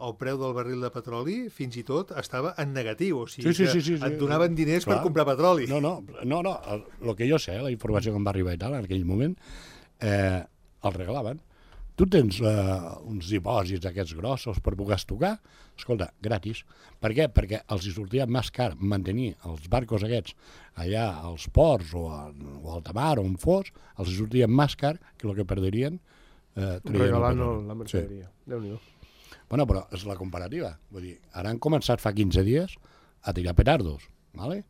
el preu del barril de petroli fins i tot estava en negatiu, o sigui sí, sí, sí, sí, que et donaven diners clar. Per comprar petroli. No, no, no, no, el, el que jo sé, la informació que em va arribar i tal, en aquell moment, eh, el regalaven. Tu tens eh, uns dipòsits aquests grossos per poder estocar, escolta, gratis. Per què? Perquè els hi sortia més car mantenir els barcos aquests allà als ports o, a, o a alta mar o on fos, els hi sortia més car que el que perderien eh, regalant la mercaderia. Sí. Déu-n'hi-do. Bueno, però és la comparativa. Vull dir, ara han començat fa quinze dies a tirar petardos, ¿vale?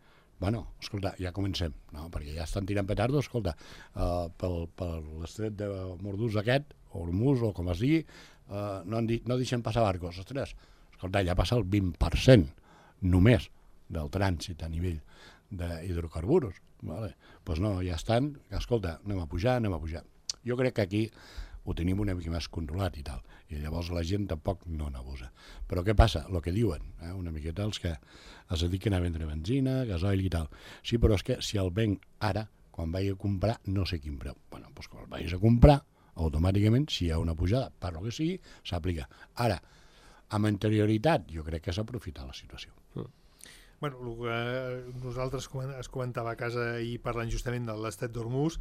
Bueno, escolta, ja comencem, no? Perquè ja estan tirant petardos, escolta, uh, pel, per l'estret de Mordús aquest, o Hormuz, o com es digui, uh, no, han dit, no deixen passar barcos. Ostres, escolta, ja passa el vint per cent només del trànsit a nivell d'hidrocarburs. Vale? Pues no, ja estan, escolta, anem a pujar, anem a pujar. Jo crec que aquí ho tenim una mica més controlat i tal, i llavors la gent tampoc no n'abusa. Però què passa? El que diuen, eh? una miqueta els que es dediquen a vendre benzina, gasoil i tal. Sí, però és que si el venc ara, quan vagi a comprar, no sé quin preu. Bueno, doncs quan el vagis a comprar, automàticament, si hi ha una pujada, per lo que sigui, s'aplica. Ara, amb anterioritat, jo crec que s'aprofita la situació. Mm. Bueno, el que nosaltres es comentava a casa i parlant justament de l'estat d'Hormuz,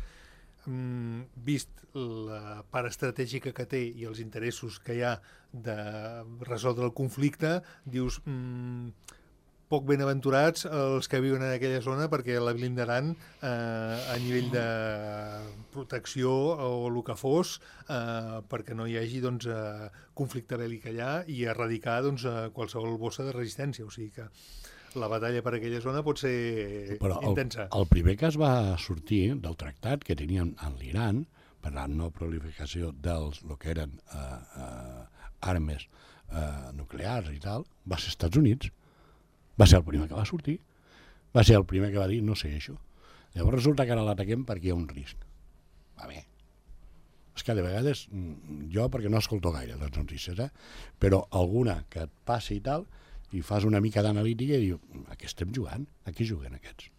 Mm, vist la part estratègica que té i els interessos que hi ha de resoldre el conflicte, dius mm, poc benaventurats els que viuen en aquella zona perquè la blindaran eh, a nivell de protecció o el que fos eh, perquè no hi hagi doncs, eh, conflicte bèl·lic allà i erradicar doncs, qualsevol bossa de resistència, o sigui que la batalla per aquella zona pot ser però intensa. El, el primer que es va sortir del tractat que tenien amb l'Iran per la no proliferació dels el que eren eh, eh, armes eh, nuclears i tal, va ser Estats Units. Va ser el primer que va sortir. Va ser el primer que va dir no sé això. Llavors resulta que ara l'ataquem perquè hi ha un risc. Va bé. És que de vegades, jo perquè no escolto gaire les notícies, eh? però alguna que et passi i tal, i fas una mica d'analítica i diu, a què estem jugant? A què juguen aquests?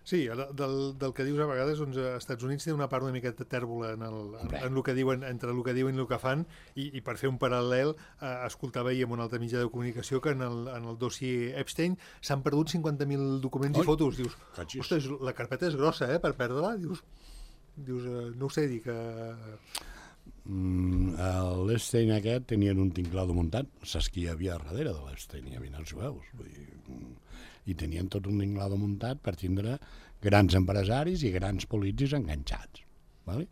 Sí, del, del que dius a vegades, doncs, als Estats Units té una part una mica tèrbola en el, en, en el que diuen, entre el que diuen i el que fan, i, i per fer un paral·lel, eh, escoltava ahir en un altre mitjà de comunicació que en el, en el dossier Epstein s'han perdut cinquanta mil documents Oi, i fotos. Dius, catxis. Ostres, la carpeta és grossa, eh, per perdre-la. Dius, dius eh, no ho sé, dic que... Mm, l'Epstein aquest tenien un tinglado muntat, saps qui hi havia darrere de l'Epstein? Hi havia els jueus, vull dir, i tenien tot un tinglado muntat per tindre grans empresaris i grans polítics enganxats, vale?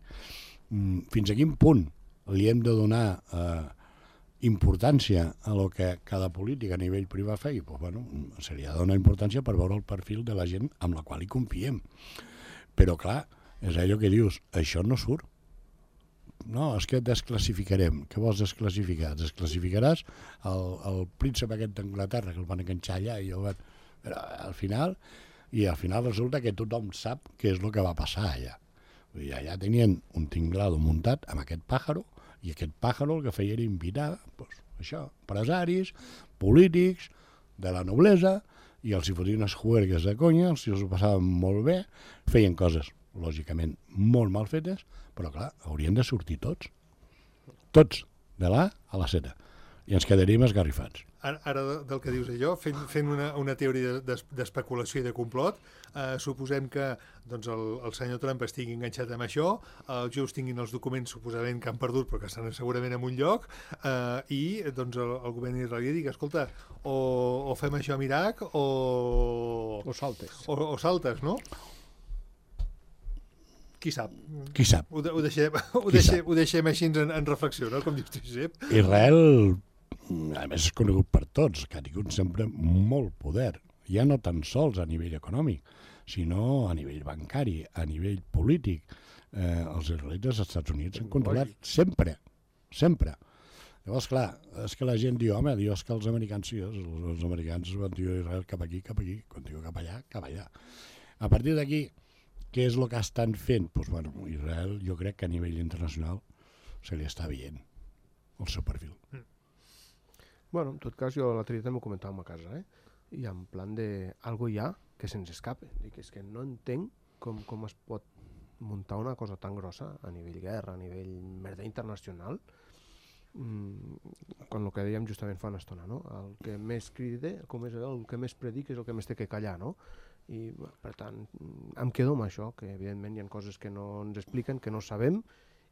Mm, fins a quin punt li hem de donar eh, importància a lo que cada polític a nivell privat feia, doncs, bueno, se li ha de donar importància per veure el perfil de la gent amb la qual hi confiem. Però, clar, és allò que dius, això no surt. No, és que desclassificarem. Què vols desclassificar? Desclassificaràs el, el príncep aquest d'Anglaterra, que el van enganxar allà, i el van... Però al final, i al final resulta que tothom sap què és el que va passar allà. Vull dir, allà tenien un tinglado muntat amb aquest pàjaro, i aquest pàjaro el que feia era invitar, doncs, això, empresaris, polítics, de la noblesa, i els hi fotien unes juergues de conya, els hi ho passaven molt bé, feien coses, lògicament, molt mal fetes, però clar, haurien de sortir tots. Tots, de l'A a la Z. I ens quedaríem esgarrifats. Ara, ara del que dius allò, fent, fent una, una teoria d'especulació i de complot, eh, suposem que doncs, el, el senyor Trump estigui enganxat amb això, els jueus tinguin els documents suposament que han perdut però que estan segurament en un lloc, eh, i doncs, el, el govern israelí digui, escolta, o, o fem això amb Iraq o... O saltes. O, o saltes, no? Qui sap? Qui sap? Ho, de, ho, deixem, ho, deixem, ho deixem així en, en reflexió, no? Com dius tu, Josep. Israel, a més, és conegut per tots, que ha tingut sempre molt poder, ja no tan sols a nivell econòmic, sinó a nivell bancari, a nivell polític. Eh, els israelites als Estats Units han controlat sempre, sempre. Llavors, clar, és que la gent diu, home, diu, és que els americans, sí, els, els americans van dir Israel cap aquí, cap aquí, quan diu cap allà, cap allà. A partir d'aquí, què és el que estan fent? Doncs, pues, bueno, Israel, jo crec que a nivell internacional se li està veient el seu perfil. Mm. Bueno, en tot cas, jo l'altre dia també ho comentàvem a casa, eh? I en plan de... Algo hi ha que se'ns escape. Dic, és que no entenc com, com es pot muntar una cosa tan grossa a nivell guerra, a nivell merda internacional, mm, quan el que dèiem justament fa una estona, no? El que més cride, com és el que més predica és el que més té que callar, no? I, per tant, em quedo amb això, que evidentment hi ha coses que no ens expliquen, que no sabem,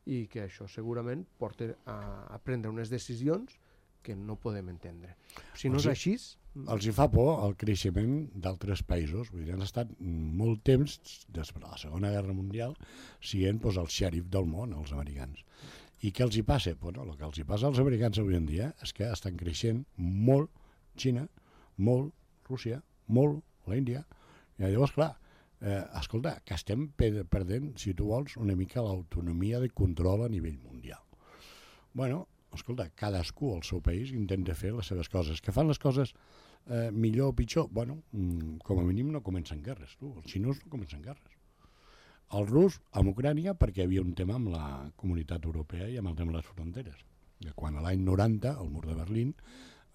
i que això segurament porta a, a prendre unes decisions que no podem entendre. Si no és així... Els hi fa por el creixement d'altres països. Vull dir, han estat molt temps, després de la Segona Guerra Mundial, sent doncs, el xèrif del món, els americans. I què els hi passa? Bueno, el que els hi passa als americans avui en dia és que estan creixent molt Xina, molt Rússia, molt l'Índia. I llavors, clar, eh, escolta, que estem perdent, si tu vols, una mica l'autonomia de control a nivell mundial. Bueno, escolta, cadascú al seu país intenta fer les seves coses. Que fan les coses eh, millor o pitjor? Bueno, mm, com a mínim no comencen guerres. Tu. Els xinos no comencen guerres. El rus amb Ucrània perquè hi havia un tema amb la comunitat europea i amb el tema de les fronteres. Que quan a l'any noranta, el mur de Berlín,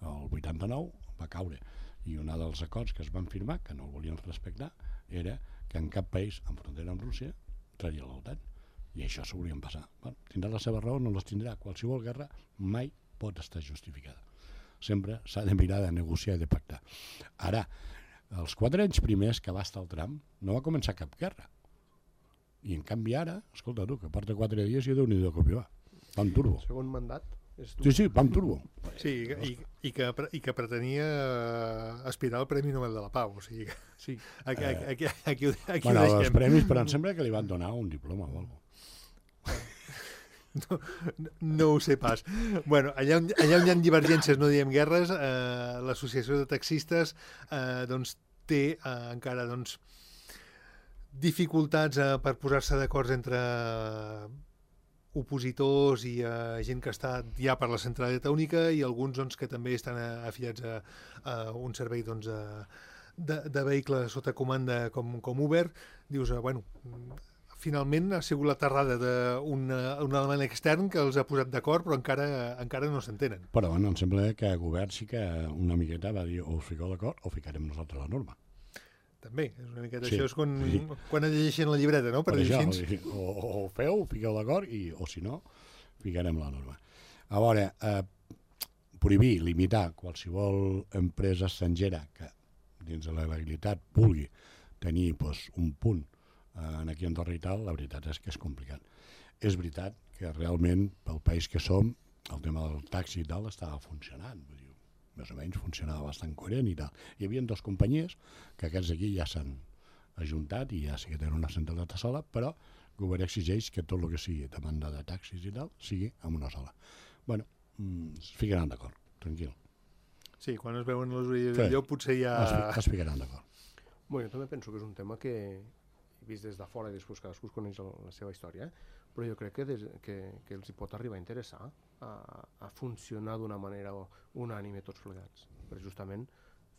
el vuitanta-nou, va caure. I un dels acords que es van firmar, que no el volien respectar, era que en cap país en frontera amb Rússia traria l'OTAN. I això s'ho volien passar. Bueno, tindrà la seva raó, no les tindrà. Qualsevol guerra mai pot estar justificada. Sempre s'ha de mirar de negociar i de pactar. Ara, els quatre anys primers que va estar el Trump, no va començar cap guerra. I en canvi ara, escolta tu, que porta quatre dies i Déu-n'hi-do com hi va. Va amb turbo. El segon mandat és Sí, sí, va amb turbo. Sí, i, i, que, i que pretenia aspirar al Premi Nobel de la Pau. O sigui, sí. aquí, aquí, aquí, aquí, aquí bueno, ho deixem. Els premis, però em sembla que li van donar un diploma o alguna cosa. No, no ho sé pas. Bueno, allà on, allà on hi ha divergències, no diem guerres, eh, l'associació de taxistes eh, doncs, té eh, encara doncs, dificultats eh, per posar-se d'acord entre opositors i eh, gent que està ja per la centralitat única i alguns doncs, que també estan afiliats a, a un servei doncs, de, de vehicle sota comanda com, com Uber. Dius, eh, bueno... finalment ha sigut l'aterrada d'un element extern que els ha posat d'acord, però encara encara no s'entenen. Però bueno, em sembla que el govern sí que una miqueta va dir o us fiqueu d'acord o ficarem nosaltres la norma. També, és una miqueta Sí, això és quan, sí. quan llegeixen la llibreta, no? Per, Per dir això, així. o, o feu, fiqueu d'acord, i o si no, ficarem la norma. A veure, eh, prohibir, limitar qualsevol empresa estrangera que dins de la legalitat vulgui tenir pues, un punt en aquí a Andorra i tal, la veritat és que és complicat. És veritat que realment, pel país que som, el tema del taxi i tal estava funcionant. Vull dir, més o menys funcionava bastant coherent i tal. Hi havia dues companyies que aquests aquí ja s'han ajuntat i ja sí que tenen una centralitat sola, però govern exigeix que tot el que sigui demanda de taxis i tal sigui en una sola. Bueno, es ficaran d'acord, tranquil. Sí, quan es veuen les orelles del llop potser ja... Es, es ficaran d'acord. Bueno, jo també penso que és un tema que, vist des de fora i després cadascú es coneix la seva història, però jo crec que, des, que, que els hi pot arribar a interessar a, a funcionar d'una manera unànime tots plegats, per justament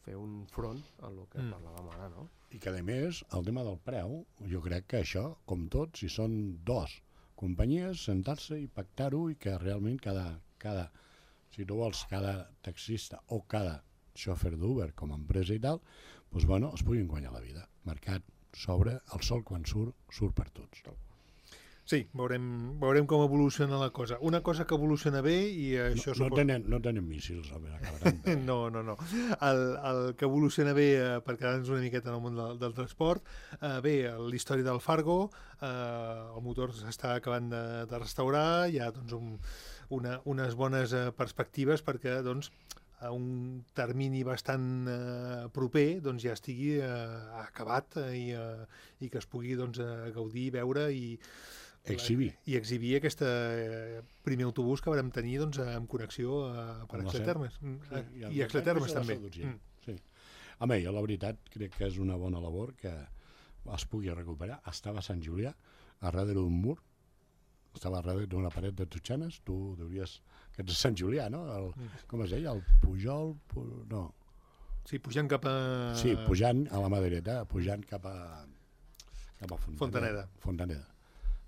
fer un front a el que mm. parlàvem ara, no? I que, a més, el tema del preu, jo crec que això, com tot, si són dos companyies, sentar-se i pactar-ho i que realment cada, cada, si tu vols, cada taxista o cada xòfer d'Uber com a empresa i tal, doncs, bueno, es puguin guanyar la vida. Mercat s'obre, el sol quan surt, surt per tots. Sí, veurem, veurem com evoluciona la cosa. Una cosa que evoluciona bé i això... No, no, tenen, no tenen míssils, home, acabaran bé. no, no, no. El, el que evoluciona bé, eh, per quedar-nos una miqueta en el món del, del transport, eh, bé, la història del Fargo, eh, el motor s'està acabant de, de restaurar, hi ha doncs, un, una, unes bones eh, perspectives perquè doncs, a un termini bastant eh, proper doncs, ja estigui eh, acabat eh, i, eh, i que es pugui doncs, eh, gaudir, veure i exhibir. I exhibir aquest eh, primer autobús que vam tenir doncs, amb connexió eh, per Exletermes. Sí, i, I Exletermes també. Mm. Sí. Home, jo la veritat crec que és una bona labor que es pugui recuperar. Estava a Sant Julià, a darrere d'un mur, estava a darrere d'una paret de totxanes, tu deuries... que ets a Sant Julià, no? El, com es deia? El Pujol? Pu... No. Sí, pujant cap a... Sí, pujant a la mà dreta, pujant cap a... cap a Fontaneda. Fontaneda. Fontaneda.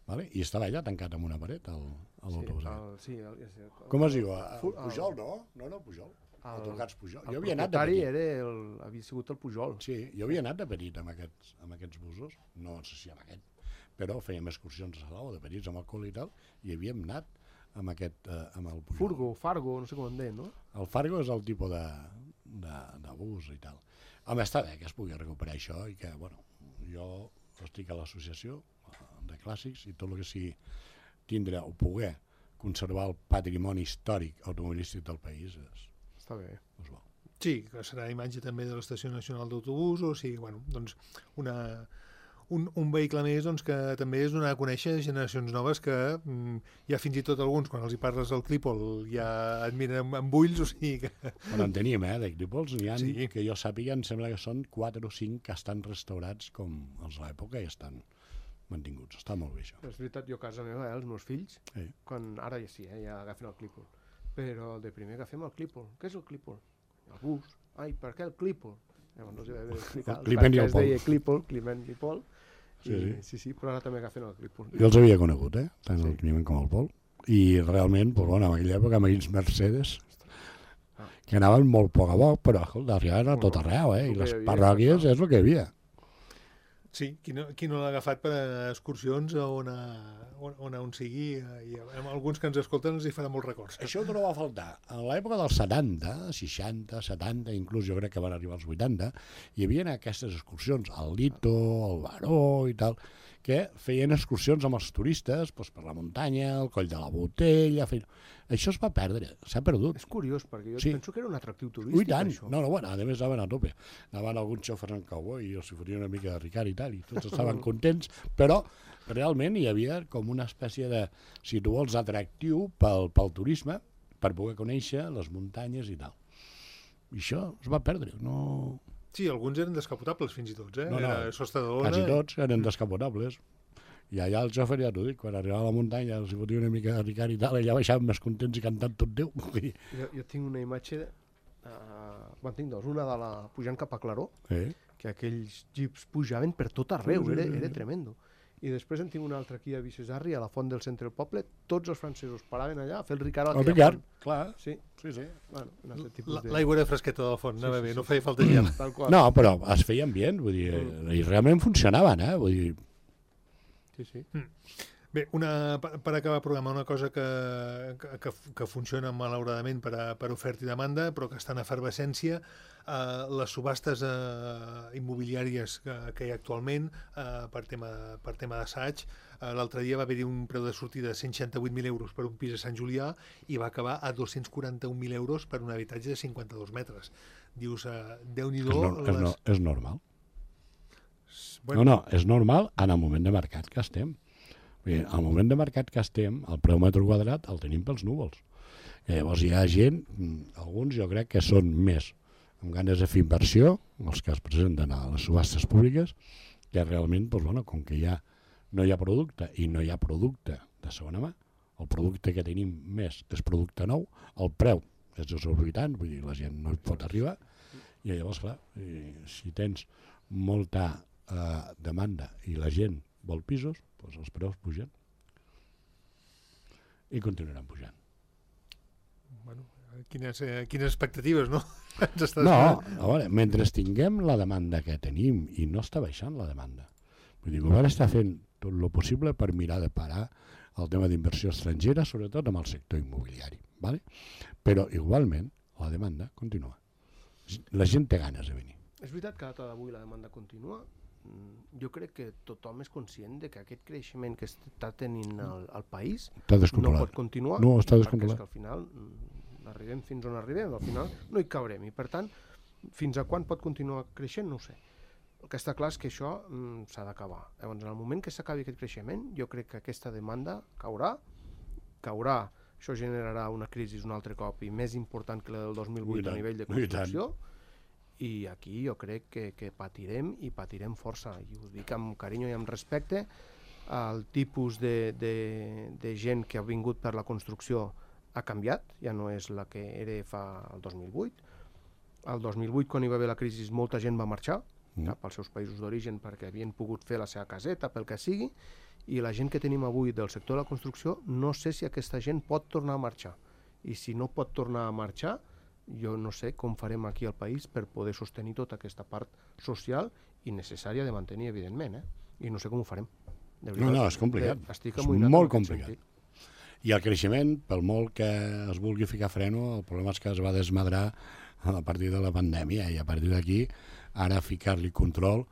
Vale? I estava allà tancat amb una paret, l'autobús. Sí, el, sí, el, el, el, com es diu? El Pujol, no? No, no, Pujol. El, Pujol. El jo havia anat de petit. Era el, havia sigut el Pujol. Sí, jo havia anat de petit amb aquests, amb aquests busos, no sé si amb aquest, però fèiem excursions a Salou de petits amb alcohol i tal, i havíem anat amb aquest, eh, amb el Pujol. Furgo, Fargo, no sé com en deien, no? El Fargo és el tipus de, de, de bus i tal. Home, està bé que es pugui recuperar això i que, bueno, jo estic a l'associació de clàssics i tot el que sigui tindre o poder conservar el patrimoni històric automobilístic del país és, està bé. És bo. Sí, que serà imatge també de l'Estació Nacional d'Autobús, o sigui, bueno, doncs una, un, un vehicle més doncs, que també és donar a conèixer generacions noves que mm, ja fins i tot alguns, quan els hi parles del Clípol, ja et miren amb, amb ulls, o sigui que... Bueno, en tenim, eh, de Clípols, n'hi ha, sí. Que jo sàpiga, em sembla que són quatre o cinc que estan restaurats com els de l'època i estan mantinguts, està molt bé això. És veritat, jo a casa meva, eh, els meus fills, sí. Quan, ara ja sí, eh, ja agafen el Clípol, però el de primer agafem el Clípol. Què és el Clípol? El bus. Ai, per què el Clípol? Llavors no els hi vam explicar el Climent i el es deia Clípol, Climent i Pol, sí, i, sí. sí, sí, però ara també agafen el Clípol. Jo els havia conegut, eh, tant sí. el Climent com el Pol, i realment, pues, bueno, en aquella època amb aquells Mercedes, ah. que anaven molt poc a poc, però arribaven a tot arreu, eh, i les parròquies és el que hi havia. Sí, qui no, qui no l'ha agafat per excursions on, a, on, on, on sigui, i amb alguns que ens escolten ens hi farà molts records. Això no va faltar. A l'època dels setanta, seixanta, setanta, inclús jo crec que van arribar als vuitanta, hi havia aquestes excursions, al Lito, al Baró i tal, que feien excursions amb els turistes doncs, per la muntanya, el Coll de la Botella... Feien... Això es va perdre, s'ha perdut. És curiós, perquè jo sí. penso que era un atractiu turístic. Ui, tant. Això. No, no, bueno, a més anaven a tope. Anaven alguns xòfers en cowboy i els fotia una mica de Ricard i tal, i tots estaven contents, però realment hi havia com una espècie de, si tu vols, atractiu pel, pel turisme, per poder conèixer les muntanyes i tal. I això es va perdre, no... Sí, alguns eren descapotables fins i tots, eh? No, no, Era Sosta de Ona, quasi tots eren descapotables. I allà el xòfer, ja t'ho dic, quan arribava a la muntanya els hi fotia una mica de Ricard i tal, allà baixaven més contents i cantant tot Déu. Jo, jo tinc una imatge, uh, quan tinc dos, una de la pujant cap a Claró, eh? que aquells jeeps pujaven per tot arreu, era, era tremendo. I després en tinc una altra aquí a Vicesarri, a la font del centre del poble, tots els francesos paraven allà a fer el Ricard a el Ricard, clar. Sí, sí, sí. Bueno, un tipus de... L'aigua era fresqueta de la font, sí, anava sí, bé, sí, no feia falta gel. Tal qual. No, però es feien bé, vull dir, mm. i realment funcionaven, eh? Vull dir... Sí, sí. Mm. Bé, una, per acabar el programa, una cosa que, que, que funciona malauradament per, a, per oferta i demanda, però que està en efervescència, eh, les subhastes eh, immobiliàries que, que hi ha actualment eh, per tema, per tema d'assaig. Eh, L'altre dia va haver-hi un preu de sortida de cent seixanta-vuit mil euros per un pis a Sant Julià i va acabar a dos-cents quaranta-un mil euros per un habitatge de cinquanta-dos metres. Dius, eh, Déu-n'hi-do... És, no, les... és, no, és normal. Bueno, no, no, és normal en el moment de mercat que estem. Bé, al moment de mercat que estem, el preu metre quadrat el tenim pels núvols. I llavors hi ha gent, alguns jo crec que són més amb ganes de fer inversió, els que es presenten a les subhastes públiques, que realment, doncs, bueno, com que ja no hi ha producte i no hi ha producte de segona mà, el producte que tenim més és producte nou, el preu és desorbitant, vull dir, la gent no hi pot arribar, i llavors, clar, si tens molta eh, demanda i la gent vol pisos, doncs els preus pugen i continuaran pujant. Bueno, quines, eh, quines expectatives, no? No, a veure, mentre tinguem la demanda que tenim i no està baixant la demanda, vull dir, el govern està fent tot el possible per mirar de parar el tema d'inversió estrangera, sobretot amb el sector immobiliari, ¿vale? Però igualment la demanda continua. La gent té ganes de venir. És veritat que a data d'avui la demanda continua. Jo crec que tothom és conscient de que aquest creixement que està tenint el, el país no pot continuar, no, està perquè és que al final arribem fins on arribem, al final no hi cabrem, i per tant, fins a quan pot continuar creixent, no ho sé. El que està clar és que això mm, s'ha d'acabar. Llavors, en el moment que s'acabi aquest creixement, jo crec que aquesta demanda caurà, caurà, això generarà una crisi un altre cop i més important que la del dos mil vuit a nivell de construcció, i aquí jo crec que, que patirem i patirem força, i ho dic amb carinyo i amb respecte. El tipus de, de, de gent que ha vingut per la construcció ha canviat, ja no és la que era fa el dos mil vuit. El dos mil vuit, quan hi va haver la crisi, molta gent va marxar mm. cap als seus països d'origen perquè havien pogut fer la seva caseta, pel que sigui, i la gent que tenim avui del sector de la construcció, no sé si aquesta gent pot tornar a marxar. I si no pot tornar a marxar, jo no sé com farem aquí al país per poder sostenir tota aquesta part social i necessària de mantenir, evidentment, eh? I no sé com ho farem. De veritat, no, no, és complicat. Eh, estic és molt complicat. Sentit. I el creixement, pel molt que es vulgui ficar freno, el problema és que es va desmadrar a partir de la pandèmia, i a partir d'aquí, ara ficar-li control,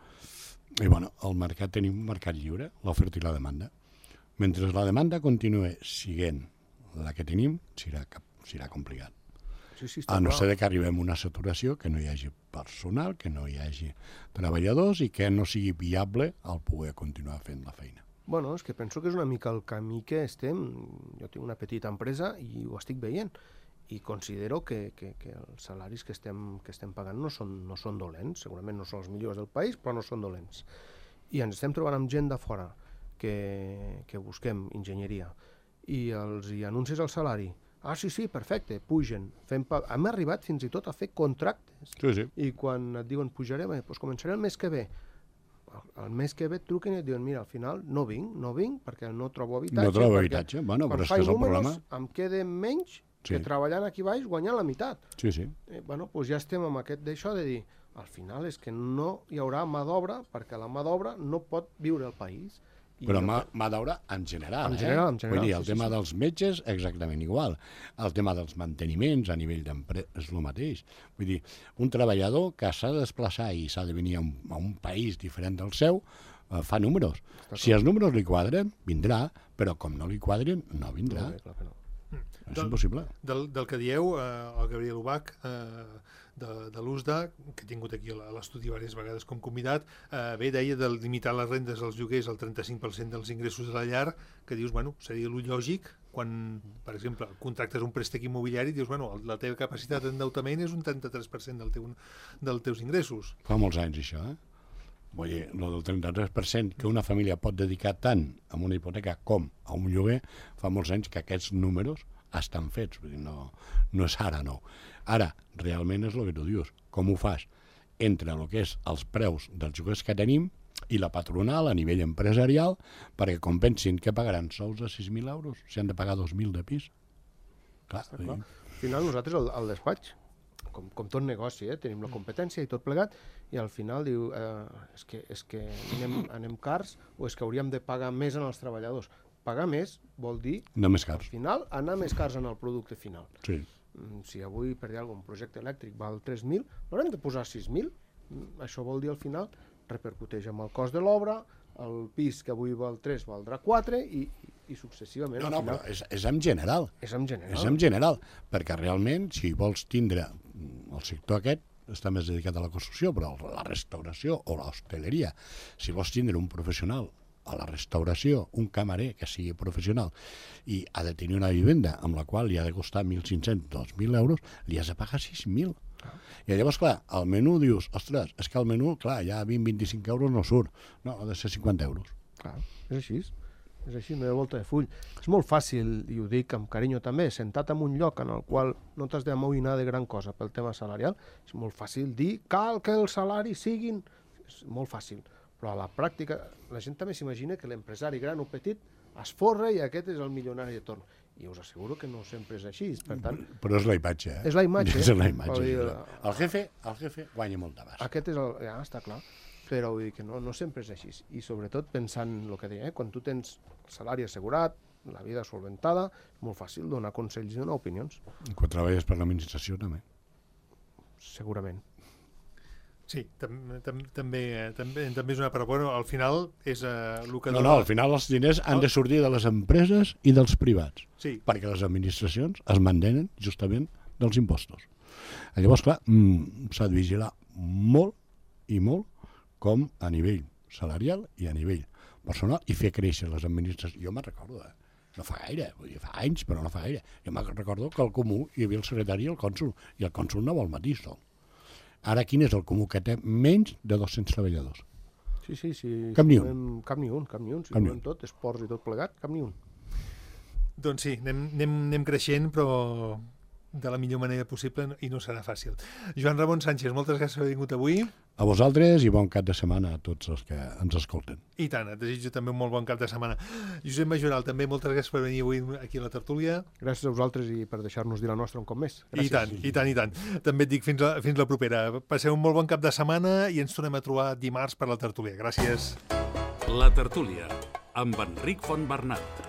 i bueno, el mercat, tenim un mercat lliure, l'oferta i la demanda. Mentre la demanda continue siguent la que tenim, serà, serà complicat. Sí, sí, a no ser que arribem a una saturació, que no hi hagi personal, que no hi hagi treballadors i que no sigui viable el poder continuar fent la feina. Bueno, és que penso que és una mica el camí que estem. Jo tinc una petita empresa i ho estic veient, i considero que, que, que els salaris que estem, que estem pagant no són, no són dolents, segurament no són els millors del país, però no són dolents. I ens estem trobant amb gent de fora que, que busquem enginyeria i els hi anuncies el salari. Ah, sí, sí, perfecte, pugen. Fem pa... Hem arribat fins i tot a fer contractes. Sí, sí. I quan et diuen pujarem, doncs començaré el mes que ve. El mes que ve et truquen i et diuen, mira, al final no vinc, no vinc perquè no trobo habitatge. No trobo habitatge, bueno, però és que és el problema. Em queda menys sí. que treballant aquí baix guanyant la meitat. Sí, sí. Eh, bueno, doncs ja estem amb aquest d'això de dir, al final és que no hi haurà mà d'obra perquè la mà d'obra no pot viure al país. I però mà, mà d'obra en general, en general, eh? En general, vull dir, el sí, tema sí, dels metges, exactament igual. El tema dels manteniments a nivell d'empresa és el mateix. Vull dir, un treballador que s'ha de desplaçar i s'ha de venir a un, a un país diferent del seu, eh, fa números. Està si clar. Els números li quadren, vindrà, però com no li quadren, no vindrà. No, clar que no. És del, impossible. Del, del que dieu, eh, el Gabriel Ubach, eh, de, de l'U S D A, que he tingut aquí a l'estudi diverses vegades com convidat, eh, bé, deia de limitar les rendes als lloguers al trenta-cinc per cent dels ingressos de la llar, que dius, bueno, seria el lògic, quan, per exemple, contractes un préstec immobiliari, dius, bueno, la teva capacitat d'endeutament és un trenta-tres per cent del teu, dels teus ingressos. Fa molts anys, això, eh? Vull dir, el del trenta-tres per cent que una família pot dedicar tant a una hipoteca com a un lloguer, fa molts anys que aquests números estan fets, vull dir, no, no és ara, no. Ara, realment és el que tu dius, com ho fas entre el que és els preus dels lloguers que tenim i la patronal a nivell empresarial perquè compensin que pagaran sous de sis mil euros si han de pagar dos mil de pis. Clar, clar. Al final nosaltres al, al despatx, com, com tot negoci, eh, tenim la competència i tot plegat, i al final diu, eh, és que, és que anem, anem cars o és que hauríem de pagar més en els treballadors. Pagar més vol dir, no més cars. Al final, anar més cars en el producte final. Sí. Si avui, per dir alguna cosa, un projecte elèctric val tres mil, l'haurem de posar sis mil. Això vol dir, al final, repercuteix amb el cost de l'obra, el pis que avui val tres valdrà quatre i, i successivament. No, no, però és, és en general. És en general. És en general, perquè realment, si vols tindre el sector aquest, està més dedicat a la construcció, però la restauració o l'hostaleria, si vols tindre un professional a la restauració, un camarer que sigui professional i ha de tenir una vivenda amb la qual li ha de costar mil cinc-cents, dos mil euros, li has de pagar sis mil. I llavors, clar, al menú dius, ostres, és que el menú, clar, ja vint a vint-i-cinc euros no surt. No, ha de ser cinquanta euros. Clar, és així. És així, no hi ha volta de full. És molt fàcil, i ho dic amb carinyo també, sentat en un lloc en el qual no t'has d'amoïnar de gran cosa pel tema salarial, és molt fàcil dir cal que els salaris siguin... És molt fàcil, però a la pràctica la gent també s'imagina que l'empresari gran o petit es forra i aquest és el milionari de torn. I us asseguro que no sempre és així, per tant... Però és la imatge, eh? És la imatge. És la imatge. Dir, el jefe, el jefe guanya molt d'abast. Aquest és el... Ja, està clar. Però vull dir que no, no sempre és així. I sobretot pensant en el que deia, eh? Quan tu tens el salari assegurat, la vida solventada, és molt fàcil donar consells i donar opinions. Quan treballes per l'administració, també. Segurament. Sí, tam, tam, també, també, també és una part bona. Al final és uh, el que... No, dona... no, al final els diners han de sortir de les empreses i dels privats. Sí. Perquè les administracions es mantenen justament dels impostos. Llavors, clar, mm, s'ha de vigilar molt i molt com a nivell salarial i a nivell personal i fer créixer les administracions. Jo me'n recordo, eh? No fa gaire, vull dir, fa anys, però no fa gaire. Jo me'n recordo que al Comú hi havia el secretari i el cònsul, i el cònsul no vol matís sol. Ara, quin és el Comú? Que té menys de dos-cents treballadors. Sí, sí, sí. Cap ni si un. Volem, cap ni un, cap ni un. Si cap volem tot, esports i tot plegat, cap ni un. Doncs sí, anem, anem, anem creixent, però de la millor manera possible i no serà fàcil. Joan Ramon Sánchez, moltes gràcies per haver vingut avui. A vosaltres i bon cap de setmana a tots els que ens escolten. I tant, et desitjo també un molt bon cap de setmana. Josep Majoral, també moltes gràcies per venir avui aquí a la tertúlia. Gràcies a vosaltres i per deixar-nos dir la nostra un cop més. Gràcies. I tant, i tant, i tant. També et dic fins la, fins la propera. Passeu un molt bon cap de setmana i ens tornem a trobar dimarts per la tertúlia. Gràcies. La tertúlia, amb Enric Fontbernat.